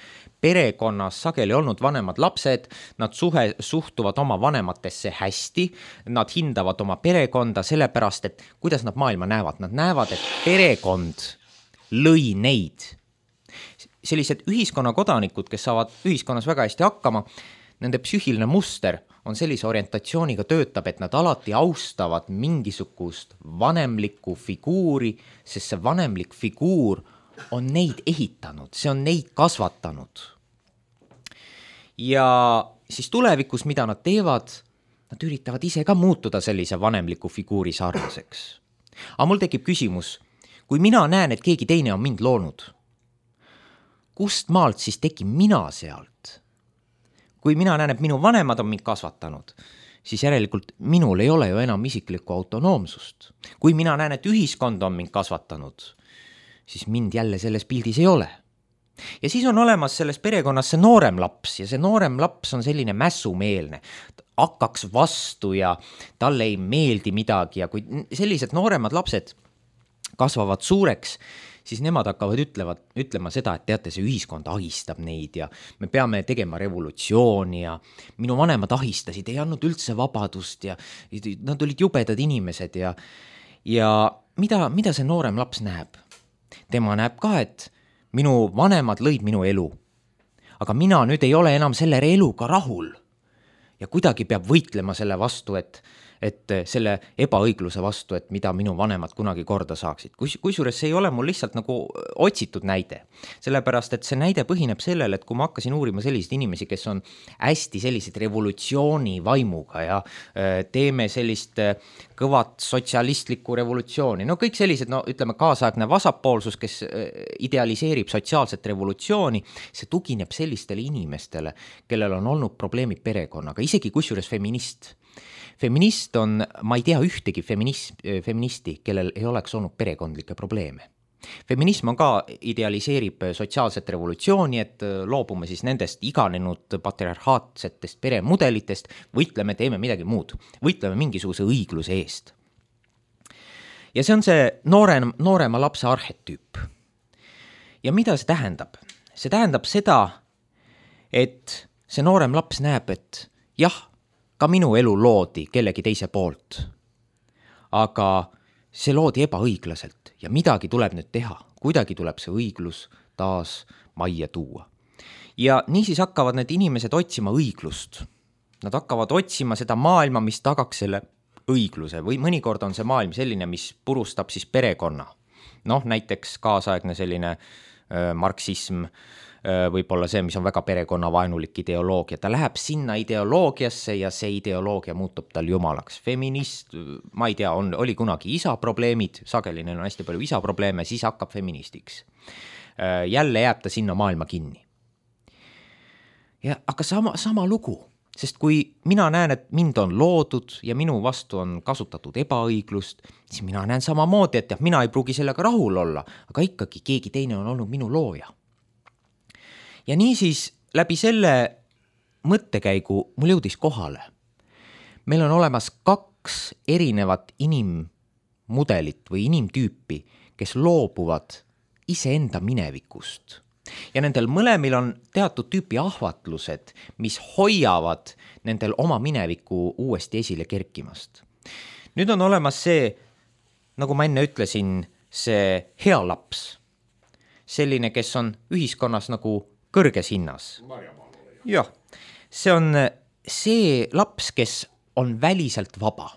perekonnas sageli olnud vanemad lapsed, nad suhe, suhtuvad oma vanematesse hästi, nad hindavad oma perekonda sellepärast, et kuidas nad maailma näevad. Nad näevad, et perekond lõi neid. Sellised ühiskonna kodanikud, kes saavad ühiskonnas väga hästi hakkama, nende psüühiline muster on sellise orientatsiooniga töötab, et nad alati austavad mingisugust vanemlikku figuuri, sest see vanemlik figuur on neid ehitanud, see on neid kasvatanud. Ja siis tulevikus, mida nad teevad, nad üritavad ise ka muutuda sellise vanemliku figuuri sarnaseks. Aga mul tekib küsimus, kui mina näen, et keegi teine on mind loonud, kust maalt siis tekib mina sealt? Kui mina näen, et minu vanemad on mind kasvatanud, siis järelikult minul ei ole ju enam isiklikku autonoomsust. Kui mina näen, et ühiskond on mind kasvatanud, siis mind jälle selles pildis ei ole. Ja siis on olemas selles perekonnas see noorem laps ja see noorem laps on selline mässumeelne. Hakkaks vastu ja talle ei meeldi midagi ja kui sellised nooremad lapsed kasvavad suureks, siis nemad hakkavad ütlevad, ütlema seda, et teate, see ühiskond ahistab neid ja me peame tegema revolutsiooni ja minu vanemad ahistasid, ei andnud üldse vabadust ja nad olid jubedad inimesed ja, ja mida, mida see noorem laps näeb? Tema näeb ka, et minu vanemad lõid minu elu, aga mina nüüd ei ole enam selle eluga rahul ja kuidagi peab võitlema selle vastu, et et selle ebaõigluse vastu, et mida minu vanemad kunagi korda saaksid. Kus, kusjuures see ei ole mul lihtsalt nagu otsitud näide. Sellepärast, et see näide põhineb sellele, et kui ma hakkasin uurima selliseid inimesi, kes on hästi sellised revolutsiooni vaimuga ja teeme sellist kõvat sotsialistlikku revolutsiooni. No kõik sellised, no ütleme, kaasaegne vasakpoolsus, kes idealiseerib sotsiaalset revolutsiooni, see tugineb sellistele inimestele, kellel on olnud probleemid perekonnaga, isegi kusjuures feminist. Feminist on, ma ei tea ühtegi feminist, feministi, kellel ei oleks olnud perekondlikke probleeme. Feminism on ka idealiseerib sotsiaalset revolutsiooni, et loobume siis nendest iganenud patriarhaatsetest peremudelitest, võitleme, teeme midagi muud, võitleme mingisuguse õigluse eest. Ja see on see noorem, noorema lapse arhetüüp. Ja mida see tähendab? See tähendab seda, et see noorem laps näeb, et jah, ka minu elu loodi kellegi teise poolt, aga see loodi ebaõiglaselt ja midagi tuleb nüüd teha, kuidagi tuleb see õiglus taas majja tuua. Ja niisiis hakkavad need inimesed otsima õiglust. Nad hakkavad otsima seda maailma, mis tagaks selle õigluse või mõnikord on see maailm selline, mis purustab siis perekonna. Noh, näiteks kaasaegne selline äh, marksism, võib-olla see, mis on väga perekonnavaenulik ideoloogia. Ta läheb sinna ideoloogiasse ja see ideoloogia muutub tal jumalaks. Feminist, ma ei tea, on, oli kunagi isa probleemid, sageli neil on hästi palju isa probleeme, siis hakkab feministiks. Jälle jääb ta sinna maailma kinni. Ja, aga sama, sama lugu, sest kui mina näen, et mind on loodud ja minu vastu on kasutatud ebaõiglust, siis mina näen samamoodi, et jah, mina ei pruugi sellega rahul olla, aga ikkagi keegi teine on olnud minu looja. Ja niisiis läbi selle mõttekäigu mul jõudis kohale. Meil on olemas kaks erinevat inimmudelit või inimtüüpi, kes loobuvad iseenda minevikust. Ja nendel mõlemil on teatud tüüpi ahvatlused, mis hoiavad nendel oma mineviku uuesti esile kerkimast. Nüüd on olemas see, nagu ma enne ütlesin, see hea laps. Selline, kes on ühiskonnas nagu kõrges hinnas. Jah, see on see laps, kes on väliselt vaba.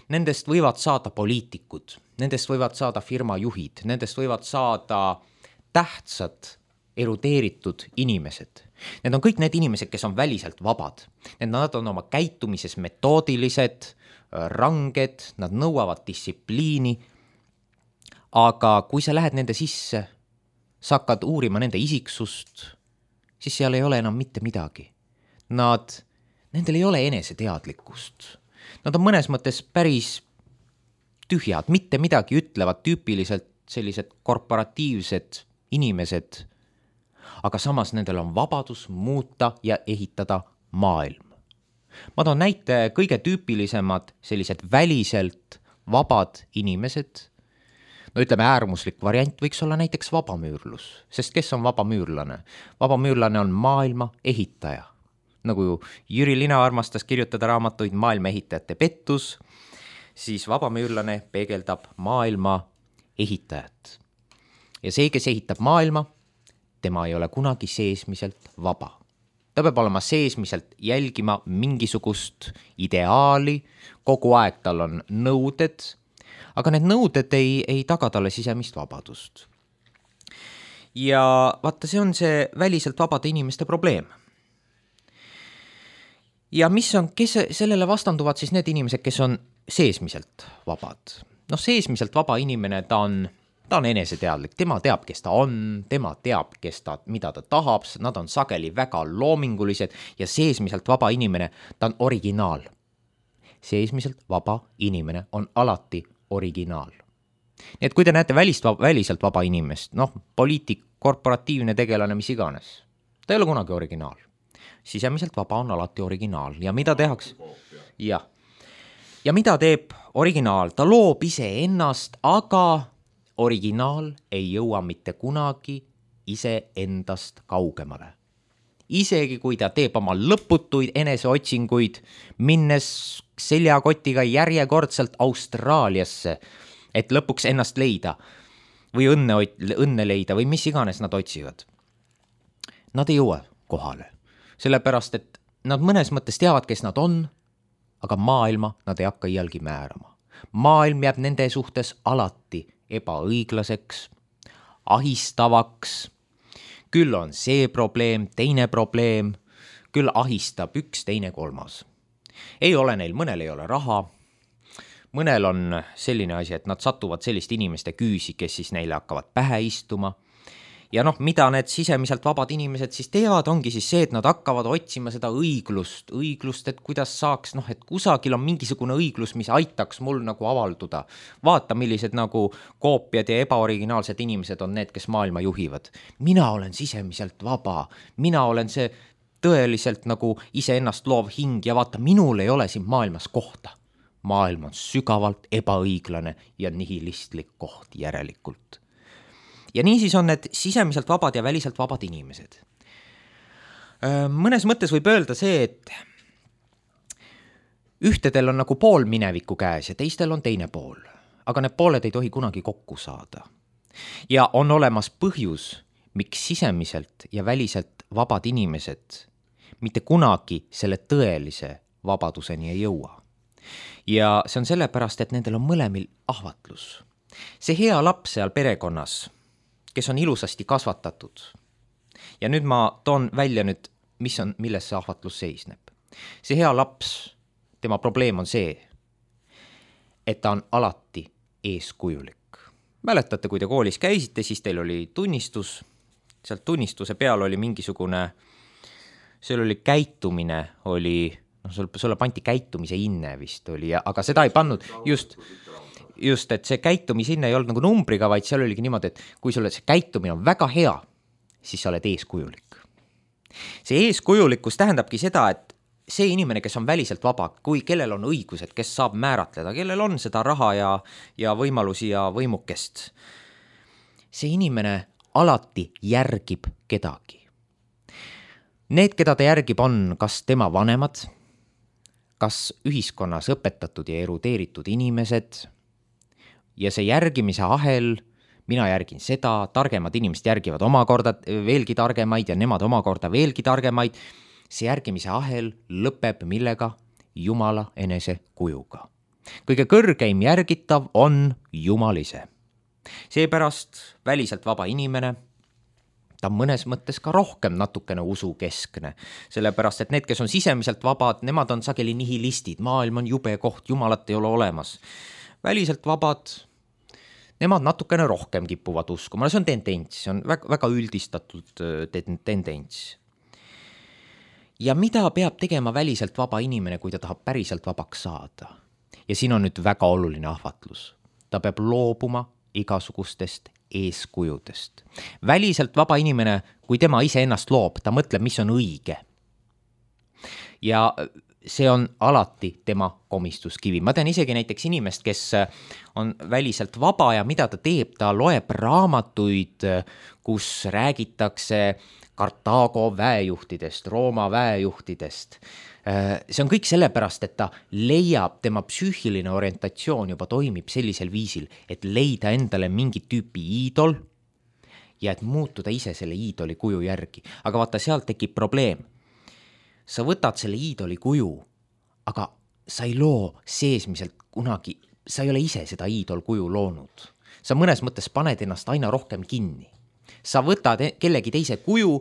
Nendest võivad saada poliitikud, nendest võivad saada firmajuhid, nendest võivad saada tähtsad, erudeeritud inimesed. Need on kõik need inimesed, kes on väliselt vabad. Nad on oma käitumises metoodilised, ranged, nad nõuavad distsipliini, aga kui sa lähed nende sisse, sa hakkad uurima nende isiksust, siis seal ei ole enam mitte midagi. Nad, nendel ei ole eneseteadlikkust. Nad on mõnes mõttes päris tühjad, mitte midagi ütlevad, tüüpiliselt sellised korporatiivsed inimesed, aga samas nendel on vabadus muuta ja ehitada maailm. Ma toon näite kõige tüüpilisemad sellised väliselt vabad inimesed. No ütleme, äärmuslik variant võiks olla näiteks vabamüürlus, sest kes on vabamüürlane? Vabamüürlane on maailma ehitaja. Nagu Jüri Lina armastas kirjutada raamatuid Maailma ehitajate pettus, siis vabamüürlane peegeldab maailma ehitajat. Ja see, kes ehitab maailma, tema ei ole kunagi seesmiselt vaba. Ta peab olema seesmiselt jälgima mingisugust ideaali, kogu aeg tal on nõuded, aga need nõuded ei, ei taga talle sisemist vabadust. Ja vaata, see on see väliselt vabade inimeste probleem. Ja mis on, kes sellele vastanduvad siis need inimesed, kes on seesmiselt vabad? No seesmiselt vaba inimene, ta on, ta on eneseteadlik, tema teab, kes ta on, tema teab, kes ta, mida ta tahab, nad on sageli väga loomingulised ja seesmiselt vaba inimene, ta on originaal. Seesmiselt vaba inimene on alati originaal. Nii et kui te näete välist, väliselt vaba inimest, noh, poliitik, korporatiivne tegelane, mis iganes, ta ei ole kunagi originaal. Sisemiselt vaba on alati originaal ja mida tehakse? Ja. ja mida teeb originaal? Ta loob ise ennast, aga originaal ei jõua mitte kunagi ise endast kaugemale. Isegi kui ta teeb oma lõputuid eneseotsinguid, minnes seljakotiga järjekordselt Austraaliasse, et lõpuks ennast leida või õnne, õnne leida või mis iganes nad otsivad. Nad ei jõua kohale, sellepärast et nad mõnes mõttes teavad, kes nad on, aga maailma nad ei hakka iialgi määrama. Maailm jääb nende suhtes alati ebaõiglaseks, ahistavaks. Küll on see probleem, teine probleem, küll ahistab üks, teine, kolmas. Ei ole neil, mõnel ei ole raha, mõnel on selline asi, et nad satuvad selliste inimeste küüsi, kes siis neile hakkavad pähe istuma. Ja noh, mida need sisemiselt vabad inimesed siis teevad, ongi siis see, et nad hakkavad otsima seda õiglust, õiglust, et kuidas saaks, noh, et kusagil on mingisugune õiglus, mis aitaks mul nagu avalduda. Vaata, millised nagu koopiad ja ebaoriginaalsed inimesed on need, kes maailma juhivad. Mina olen sisemiselt vaba, mina olen see tõeliselt nagu iseennast loov hing ja vaata, minul ei ole siin maailmas kohta. Maailm on sügavalt ebaõiglane ja nihilistlik koht järelikult. Ja niisiis on need sisemiselt vabad ja väliselt vabad inimesed. Mõnes mõttes võib öelda see, et ühtedel on nagu pool mineviku käes ja teistel on teine pool, aga need pooled ei tohi kunagi kokku saada. Ja on olemas põhjus, miks sisemiselt ja väliselt vabad inimesed mitte kunagi selle tõelise vabaduseni ei jõua. Ja see on sellepärast, et nendel on mõlemil ahvatlus. See hea laps seal perekonnas, kes on ilusasti kasvatatud. Ja nüüd ma toon välja nüüd, mis on, milles see ahvatlus seisneb. See hea laps, tema probleem on see, et ta on alati eeskujulik. Mäletate, kui te koolis käisite, siis teil oli tunnistus, sealt tunnistuse peal oli mingisugune, seal oli käitumine, oli, noh, sulle panti käitumise inne vist oli, aga seda ei pannud just... Just, et see käitumisinne ei olnud nagu numbriga, vaid seal oligi niimoodi, et kui sulle see käitumine on väga hea, siis sa oled eeskujulik. See eeskujulikkus tähendabki seda, et see inimene, kes on väliselt vaba, kui kellel on õigused, kes saab määratleda, kellel on seda raha ja, ja võimalusi ja võimukest, see inimene alati järgib kedagi. Need, keda ta järgib, on kas tema vanemad, kas ühiskonnas õpetatud ja erudeeritud inimesed. Ja see järgimise ahel, mina järgin seda, targemad inimesed järgivad omakorda veelgi targemaid ja nemad omakorda veelgi targemaid. See järgimise ahel lõpeb millega? Jumala enese kujuga. Kõige kõrgeim järgitav on Jumal ise. Seepärast väliselt vaba inimene, ta on mõnes mõttes ka rohkem natukene usukeskne. Sellepärast, et need, kes on sisemiselt vabad, nemad on sageli nihilistid. Maailm on jube koht, Jumalat ei ole olemas. Väliselt vabad, nemad natukene rohkem kipuvad uskuma. See on tendents, see on väga, väga üldistatud tendents. Ja mida peab tegema väliselt vaba inimene, kui ta tahab päriselt vabaks saada? Ja siin on nüüd väga oluline ahvatlus. Ta peab loobuma igasugustest eeskujudest. Väliselt vaba inimene, kui tema ise ennast loob, ta mõtleb, mis on õige. Ja see on alati tema komistuskivi. Ma tean isegi näiteks inimest, kes on väliselt vaba ja mida ta teeb, ta loeb raamatuid, kus räägitakse Kartaago väejuhtidest, Rooma väejuhtidest. See on kõik sellepärast, et ta leiab, tema psüühiline orientatsioon juba toimib sellisel viisil, et leida endale mingi tüüpi iidol ja et muutuda ise selle iidoli kuju järgi. Aga vaata, sealt tekib probleem. Sa võtad selle iidoli kuju, aga sa ei loo seesmiselt kunagi, sa ei ole ise seda iidol kuju loonud. Sa mõnes mõttes paned ennast aina rohkem kinni. Sa võtad kellegi teise kuju,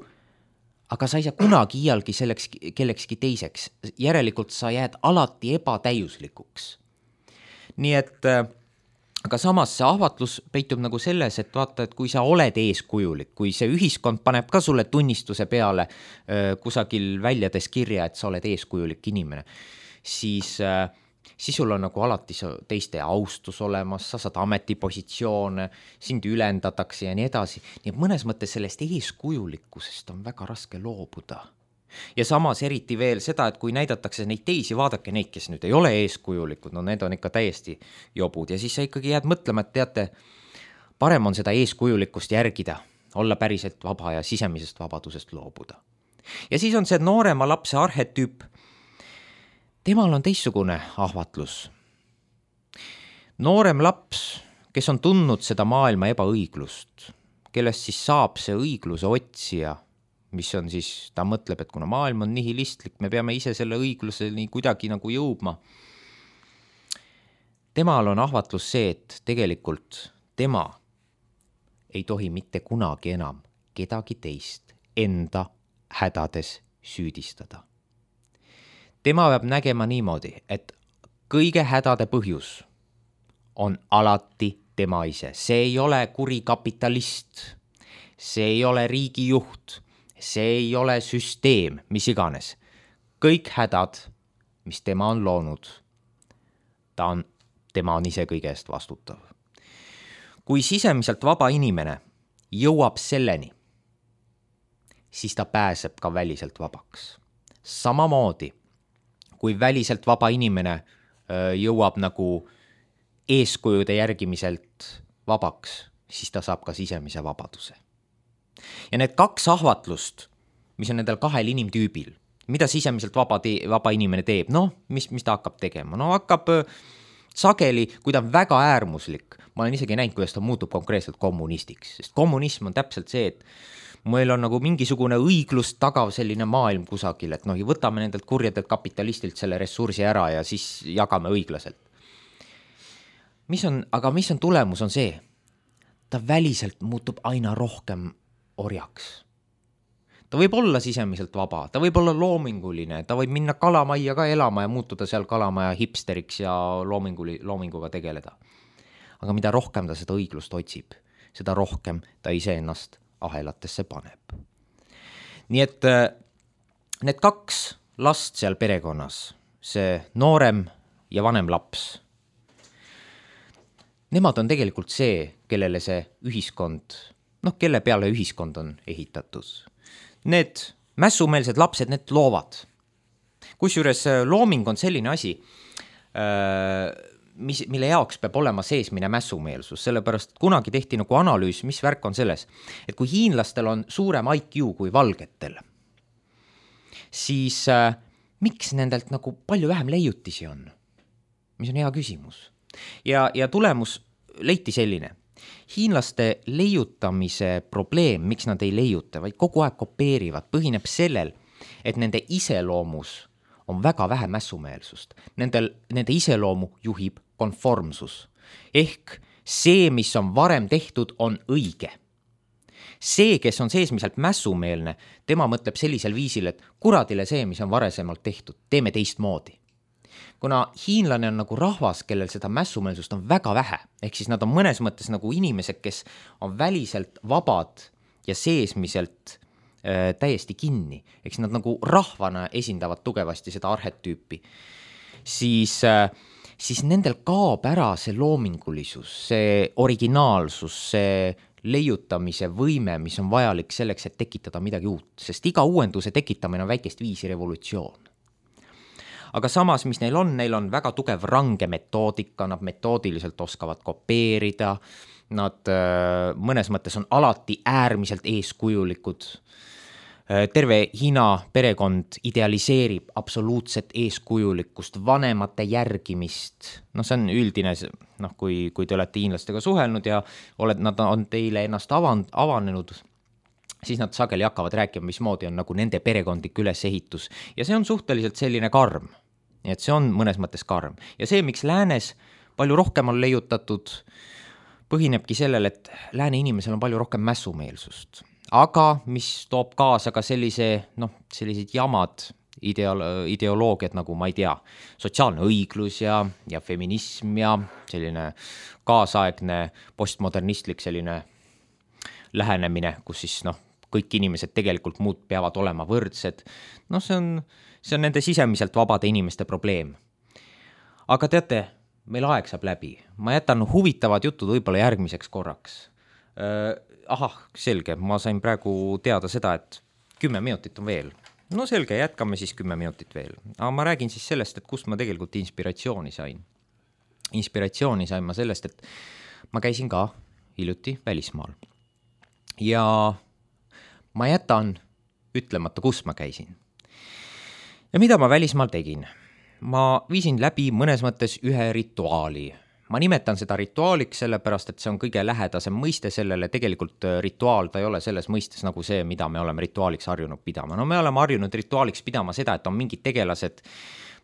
aga sa ei saa kunagi iialgi selleks kellekski teiseks. Järelikult sa jääd alati ebatäiuslikuks. Nii et, aga samas see ahvatlus peitub nagu selles, et vaata, et kui sa oled eeskujulik, kui see ühiskond paneb ka sulle tunnistuse peale kusagil väljades kirja, et sa oled eeskujulik inimene, siis, siis sul on nagu alati teiste austus olemas, sa saad ametipositsioone, sind ülendatakse ja nii edasi. Nii et mõnes mõttes sellest eeskujulikkusest on väga raske loobuda. Ja samas eriti veel seda, et kui näidatakse neid teisi, vaadake neid, kes nüüd ei ole eeskujulikud, no need on ikka täiesti jobud ja siis sa ikkagi jääd mõtlema, et teate, parem on seda eeskujulikkust järgida, olla päriselt vaba ja sisemisest vabadusest loobuda. Ja siis on see noorema lapse arhetüüp. Temal on teistsugune ahvatlus. Noorem laps, kes on tundnud seda maailma ebaõiglust, kellest siis saab see õigluse otsija, mis on siis, ta mõtleb, et kuna maailm on nihilistlik, me peame ise selle õigluse nii kuidagi nagu jõudma. Temal on ahvatlus see, et tegelikult tema ei tohi mitte kunagi enam kedagi teist enda hädades süüdistada. Tema peab nägema niimoodi, et kõige hädade põhjus on alati tema ise. See ei ole kurikapitalist, see ei ole riigijuht, see ei ole süsteem, mis iganes. Kõik hädad, mis tema on loonud, ta on, tema on ise kõige eest vastutav. Kui sisemiselt vaba inimene jõuab selleni, siis ta pääseb ka väliselt vabaks. Samamoodi, kui väliselt vaba inimene jõuab nagu eeskujude järgimiselt vabaks, siis ta saab ka sisemise vabaduse. Ja need kaks ahvatlust, mis on nendel kahel inimtüübil, mida sisemiselt vaba, te- vaba inimene teeb, noh, mis, mis ta hakkab tegema? No hakkab sageli, kui ta on väga äärmuslik, ma olen isegi näinud, kuidas ta muutub konkreetselt kommunistiks, sest kommunism on täpselt see, et meil on nagu mingisugune õiglust tagav selline maailm kusagil, et noh, võtame nendelt kurjadelt kapitalistilt selle ressursi ära ja siis jagame õiglaselt. Mis on, aga mis on tulemus on see, ta väliselt muutub aina rohkem orjaks. Ta võib olla sisemiselt vaba, ta võib olla loominguline, ta võib minna kalamajja ka elama ja muutuda seal kalamaja hipsteriks ja loominguli, loominguga tegeleda. Aga mida rohkem ta seda õiglust otsib, seda rohkem ta ise ennast ahelatesse paneb. Nii et need kaks last seal perekonnas, see noorem ja vanem laps, nemad on tegelikult see, kellele see ühiskond, noh, kelle peale ühiskond on ehitatud. Need mässumeelsed lapsed, need loovad. Kusjuures looming on selline asi, mis, mille jaoks peab olema seesmine mässumeelsus, sellepärast kunagi tehti nagu analüüs, mis värk on selles, et kui hiinlastel on suurem I Q kui valgetel, siis äh, miks nendelt nagu palju vähem leiutisi on? Mis on hea küsimus. Ja, ja tulemus leiti selline. Hiinlaste leiutamise probleem, miks nad ei leiuta, vaid kogu aeg kopeerivad, põhineb sellel, et nende iseloomus on väga vähe mässumeelsust. Nendel, nende iseloomu juhib konformsus. Ehk see, mis on varem tehtud, on õige. See, kes on seesmiselt mässumeelne, tema mõtleb sellisel viisil, et kuradile see, mis on varesemalt tehtud, teeme teistmoodi. Kuna hiinlane on nagu rahvas, kellel seda mässumeelsust on väga vähe, ehk siis nad on mõnes mõttes nagu inimesed, kes on väliselt vabad ja seesmiselt äh, täiesti kinni, ehk siis nad nagu rahvana esindavad tugevasti seda arhetüüpi, siis, äh, siis nendel kaob ära see loomingulisus, see originaalsus, see leiutamise võime, mis on vajalik selleks, et tekitada midagi uut, sest iga uuenduse tekitamine on väikest viisi revolutsioon. Aga samas, mis neil on, neil on väga tugev range metoodika, nad metoodiliselt oskavad kopeerida, nad mõnes mõttes on alati äärmiselt eeskujulikud. Terve Hiina perekond idealiseerib absoluutset eeskujulikkust, vanemate järgimist. No see on üldine, noh, kui, kui te olete hiinlastega suhelnud ja oled, nad on teile ennast avan, avanenud, siis nad sageli hakkavad rääkima, mismoodi on nagu nende perekondlik ülesehitus. Ja see on suhteliselt selline karm. Nii et see on mõnes mõttes karm. Ja see, miks läänes palju rohkem on leiutatud, põhinebki sellel, et lääne inimesel on palju rohkem mässumeelsust. Aga mis toob kaasa ka sellise, noh, sellised jamad ideolo- ideoloogiad nagu, ma ei tea, sotsiaalne õiglus ja, ja feminism ja selline kaasaegne postmodernistlik selline lähenemine, kus siis, noh, kõik inimesed tegelikult muud peavad olema võrdsed. No see on, see on nende sisemiselt vabade inimeste probleem. Aga teate, meil aeg saab läbi. Ma jätan huvitavad jutud võib-olla järgmiseks korraks. Äh, ahah, selge, ma sain praegu teada seda, et kümme minutit on veel. No selge, jätkame siis kümme minutit veel. Aga ma räägin siis sellest, et kust ma tegelikult inspiratsiooni sain. Inspiratsiooni sain ma sellest, et ma käisin ka hiljuti välismaal. Ja ma jätan ütlemata, kus ma käisin. Ja mida ma välismaal tegin? Ma viisin läbi mõnes mõttes ühe rituaali. Ma nimetan seda rituaaliks sellepärast, et see on kõige lähedasem mõiste sellele. Tegelikult rituaal ta ei ole selles mõistes nagu see, mida me oleme rituaaliks harjunud pidama. No me oleme harjunud rituaaliks pidama seda, et on mingid tegelased,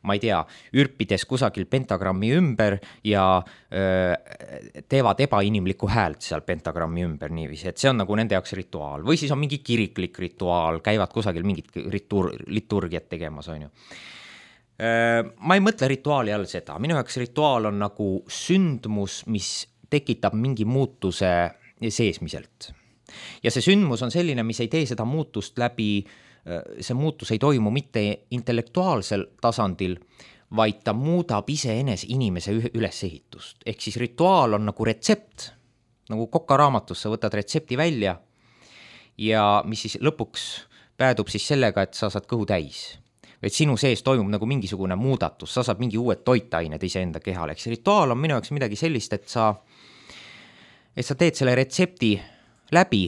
ma ei tea, ürpides kusagil pentagrammi ümber ja öö, teevad ebainimlikku häält seal pentagrammi ümber niiviisi, et see on nagu nende jaoks rituaal. Või siis on mingi kiriklik rituaal, käivad kusagil mingit ritur, liturgiat tegemas, on ju. Ma ei mõtle rituaali all seda. Minu jaoks rituaal on nagu sündmus, mis tekitab mingi muutuse seesmiselt. Ja see sündmus on selline, mis ei tee seda muutust läbi, see muutus ei toimu mitte intellektuaalsel tasandil, vaid ta muudab iseenes inimese ülesehitust. Ehk siis rituaal on nagu retsept, nagu kokaraamatus sa võtad retsepti välja ja mis siis lõpuks päädub siis sellega, et sa saad kõhu täis. Et sinu sees toimub nagu mingisugune muudatus, sa saad mingi uued toitained iseenda kehale. Eks rituaal on minu jaoks midagi sellist, et sa, et sa teed selle retsepti läbi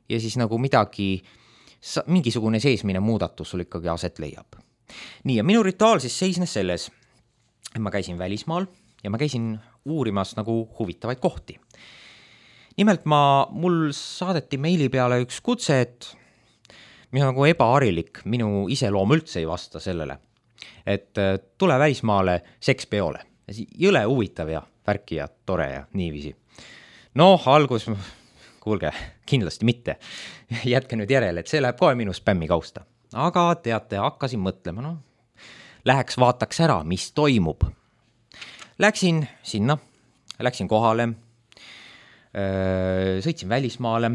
ja siis nagu midagi, sa, mingisugune seesmine muudatus sul ikkagi aset leiab. Nii, ja minu rituaal siis seisnes selles, et ma käisin välismaal ja ma käisin uurimas nagu huvitavaid kohti. Nimelt ma, mul saadeti meili peale üks kutse, et mis on nagu ebaharilik, minu iseloom üldse ei vasta sellele, et tule välismaale sekspeole. Jõle huvitav ja värki ja tore ja niiviisi. Noh, algus, kuulge, kindlasti mitte. Jätke nüüd järele, et see läheb kohe minu spämmi kausta. Aga teate, hakkasin mõtlema, no, läheks vaataks ära, mis toimub. Läksin sinna, läksin kohale, sõitsin välismaale,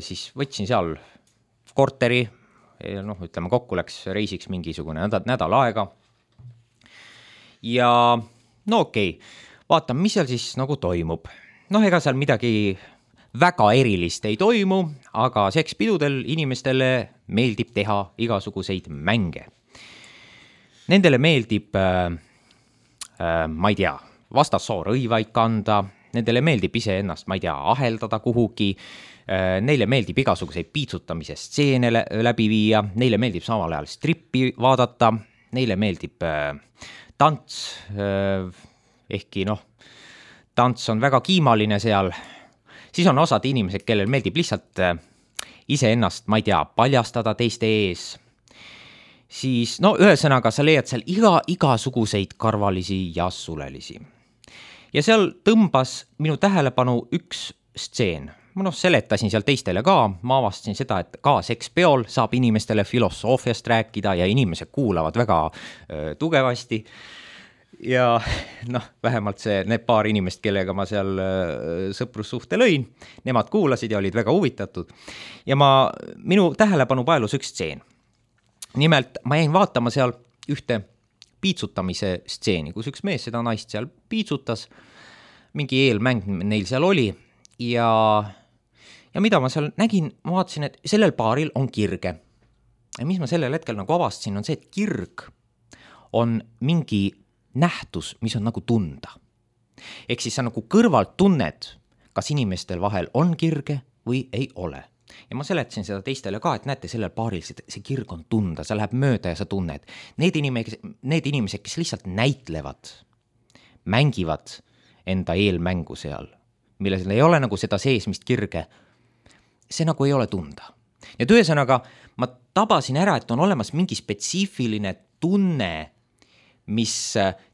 siis võtsin seal korteri, noh, ütleme kokku läks reisiks mingisugune nädal, nädal aega. Ja no okei, okay, vaatan, mis seal siis nagu toimub. Noh, ega seal midagi väga erilist ei toimu, aga sekspidudel inimestele meeldib teha igasuguseid mänge. Nendele meeldib, äh, äh, ma ei tea, vastassoo rõivaid kanda, nendele meeldib ise ennast, ma ei tea, aheldada kuhugi, neile meeldib igasuguseid piitsutamise stseene läbi viia, neile meeldib samal ajal strippi vaadata, neile meeldib äh, tants, äh, ehkki noh, tants on väga kiimaline seal, siis on osad inimesed, kellel meeldib lihtsalt äh, ise ennast, ma ei tea, paljastada teiste ees, siis no ühesõnaga sa leiad seal iga, igasuguseid karvalisi ja sulelisi. Ja seal tõmbas minu tähelepanu üks stseen. Ma noh, seletasin seal teistele ka, ma avastasin seda, et ka sekspeol saab inimestele filosoofiast rääkida ja inimesed kuulavad väga öö, tugevasti. Ja noh, vähemalt see, need paar inimest, kellega ma seal öö, sõprussuhte lõin, nemad kuulasid ja olid väga huvitatud. Ja ma, minu tähelepanu paelus üks stseen. Nimelt, ma jäin vaatama seal ühte piitsutamise stseeni, kus üks mees seda naist seal piitsutas, mingi eelmäng neil seal oli ja, ja mida ma seal nägin, ma vaatasin, et sellel paaril on kirge. Ja mis ma sellel hetkel nagu avastasin, on see, et kirg on mingi nähtus, mis on nagu tunda. Ehk siis sa nagu kõrvalt tunned, kas inimestel vahel on kirge või ei ole. Ja ma seletasin seda teistele ka, et näete, sellel paaril see, see kirg on tunda, sa läheb mööda ja sa tunned. Need inimesed, need inimesed, kes lihtsalt näitlevad, mängivad enda eelmängu seal, milles ei ole nagu seda seesmist kirge, see nagu ei ole tunda. Ja ühesõnaga ma tabasin ära, et on olemas mingi spetsiifiline tunne, mis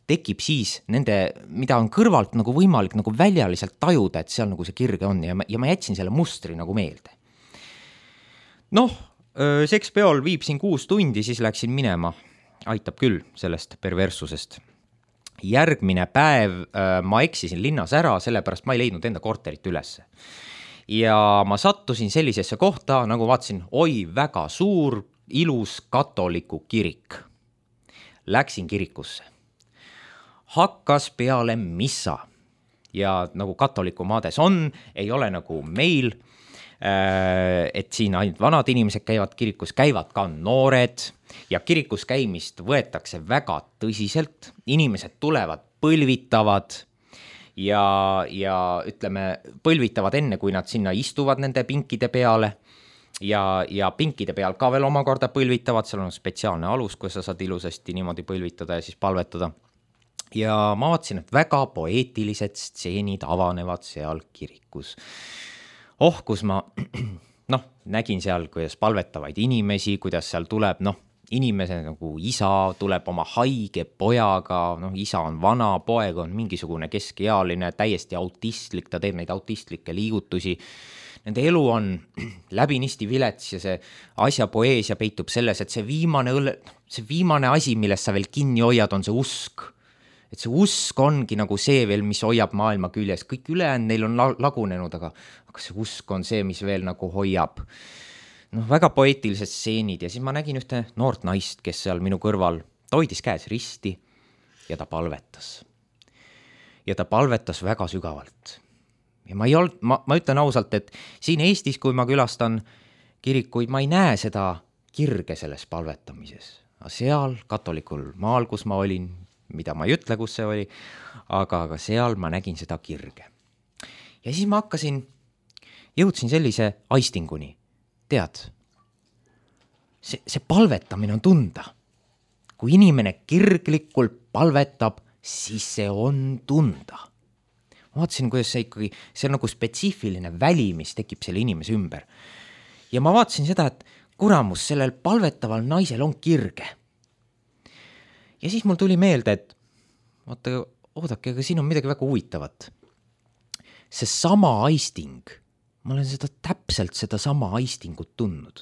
tekib siis nende, mida on kõrvalt nagu võimalik nagu väljaliselt tajuda, et seal nagu see kirge on ja ma, ja ma jätsin selle mustri nagu meelde. Noh, sekspeol viib siin kuus tundi, siis läksin minema. Aitab küll sellest perverssusest. Järgmine päev ma eksisin linnas ära, sellepärast ma ei leidnud enda korterit ülesse. Ja ma sattusin sellisesse kohta, nagu vaatasin, oi, väga suur, ilus katoliku kirik. Läksin kirikusse. Hakkas peale missa. Ja nagu katoliku maades on, ei ole nagu meil, et siin ainult vanad inimesed käivad kirikus, käivad ka noored ja kirikus käimist võetakse väga tõsiselt, inimesed tulevad, põlvitavad ja, ja ütleme, põlvitavad enne, kui nad sinna istuvad nende pinkide peale ja, ja pinkide peal ka veel omakorda põlvitavad, seal on spetsiaalne alus, kus sa saad ilusasti niimoodi põlvitada ja siis palvetada. Ja ma vaatasin, et väga poeetilised stseenid avanevad seal kirikus. Oh, kus ma noh, nägin seal, kuidas palvetavaid inimesi, kuidas seal tuleb, noh, inimese nagu isa tuleb oma haige pojaga, noh, isa on vana, poeg on mingisugune keskealine, täiesti autistlik, ta teeb neid autistlikke liigutusi. Nende elu on läbinisti vilets ja see asja poeesia peitub selles, et see viimane, see viimane asi, millest sa veel kinni hoiad, on see usk. Et see usk ongi nagu see veel, mis hoiab maailma küljes. Kõik ülejäänud neil on lagunenud, aga, aga see usk on see, mis veel nagu hoiab. Noh, väga poeetilised stseenid ja siis ma nägin ühte noort naist, kes seal minu kõrval, ta hoidis käes risti ja ta palvetas. Ja ta palvetas väga sügavalt. Ja ma, ei olnud, ma, ma ütlen ausalt, et siin Eestis, kui ma külastan kirikuid, ma ei näe seda kirge selles palvetamises. Aga seal katolikul maal, kus ma olin, mida ma ei ütle, kus see oli, aga, aga seal ma nägin seda kirge. Ja siis ma hakkasin, jõudsin sellise aistinguni. Tead, see, see palvetamine on tunda. Kui inimene kirglikult palvetab, siis see on tunda. Ma vaatasin, kuidas see ikkagi, see on nagu spetsiifiline väli, mis tekib selle inimese ümber. Ja ma vaatasin seda, et kuramus, sellel palvetaval naisel on kirge. Ja siis mul tuli meelde, et vaata, oodake, aga siin on midagi väga huvitavat. See sama aisting, ma olen seda täpselt seda sama aistingut tundnud.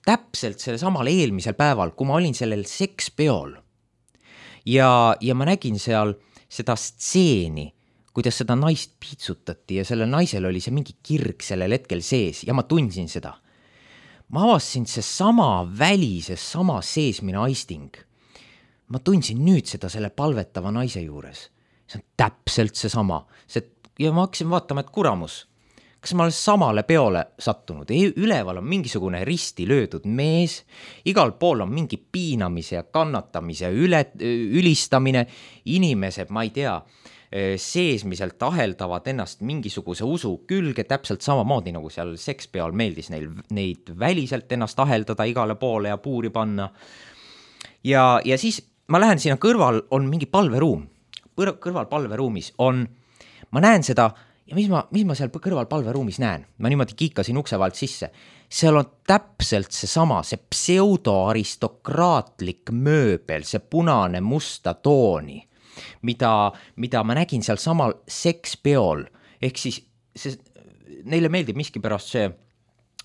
Täpselt selle samal eelmisel päeval, kui ma olin sellel sekspeol ja, ja ma nägin seal seda stseeni, kuidas seda naist piitsutati ja selle naisel oli see mingi kirg sellel hetkel sees ja ma tundsin seda. Ma avasin see sama väli, see sama seesmine aisting. Ma tundsin nüüd seda selle palvetava naise juures. See on täpselt see sama. See, ja ma hakkasin vaatama, et kuramus, kas ma olen samale peole sattunud? Üleval on mingisugune risti löödud mees, igal pool on mingi piinamise ja kannatamise üle, ülistamine, inimesed, ma ei tea, seesmiselt aheldavad ennast mingisuguse usu külge, täpselt samamoodi nagu seal sekspeol meeldis neil, neid väliselt ennast aheldada igale poole ja puuri panna. Ja, ja siis ma lähen sinna kõrval, on mingi palveruum. Kõrval palveruumis on, ma näen seda, ja mis ma, mis ma seal kõrval palveruumis näen? Ma niimoodi kiikasin ukse vahelt sisse. Seal on täpselt see sama, see pseudoaristokraatlik mööbel, see punane musta tooni, mida, mida ma nägin seal samal sekspeol. Ehk siis see, neile meeldib miski pärast see,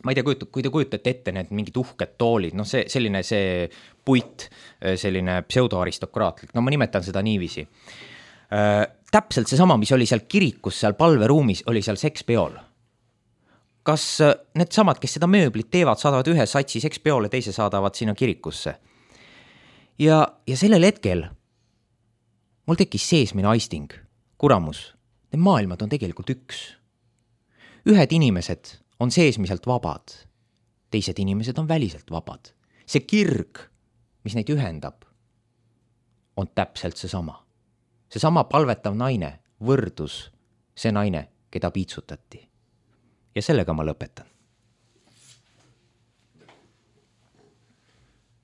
ma ei tea, kui te kujutate ette need mingid uhked toolid, no see, selline see puit, selline pseudoaristokraatlik, no ma nimetan seda niiviisi. Äh, täpselt see sama, mis oli seal kirikus, seal palveruumis, oli seal sekspeol. Kas need samad, kes seda mööblit teevad, saadavad ühe satsi sekspeole, teise saadavad sinna kirikusse? Ja, ja sellel hetkel mul tekkis seesmine aisting, kuramus, need maailmad on tegelikult üks. Ühed inimesed on seesmiselt vabad, teised inimesed on väliselt vabad. See kirg, mis neid ühendab, on täpselt see sama. See sama palvetav naine, võrdus see naine, keda piitsutati. Ja sellega ma lõpetan.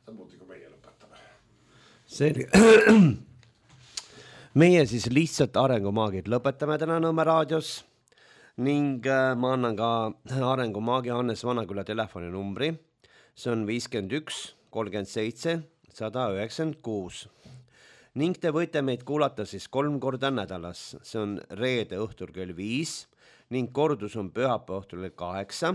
Samuti kui meie lõpetame. Selge. Meie siis lihtsalt arengumaagid lõpetame täna Nõmme raadios ning ma annan ka arengumaagi Hannes Vanaküla telefoninumbri. See on viiskümmend üks kolmkümmend seitse sada üheksakümmend kuus. Ning te võite meid kuulata siis kolm korda nädalas. See on reede õhtul kell viis ning kordus on pühapäeva õhtul kell kaheksa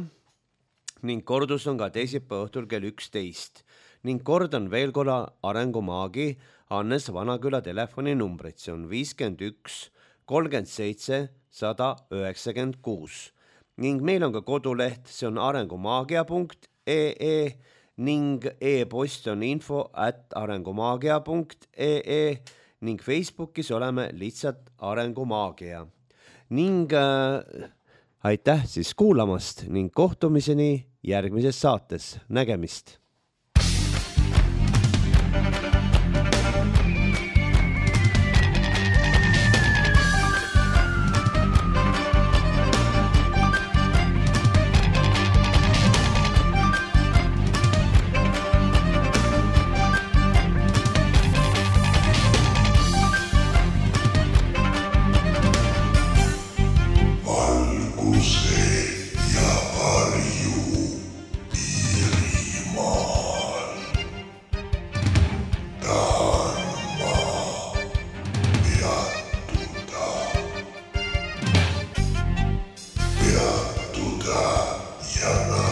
ning kordus on ka teisipäeva õhtul kell üksteist. Ning kordan veel korra arengumaagi Hannes Vanaküla telefoninumbrit. See on viiskümmend üks kolmkümmend seitse sada üheksakümmend kuus. Ning meil on ka koduleht, see on arengumaagia punkt ee ning e-post on info at arengumaagia punkt ee ning Facebookis oleme lihtsalt arengumaagia. Ning äh, aitäh siis kuulamast ning kohtumiseni järgmises saates. Nägemist! Shut up.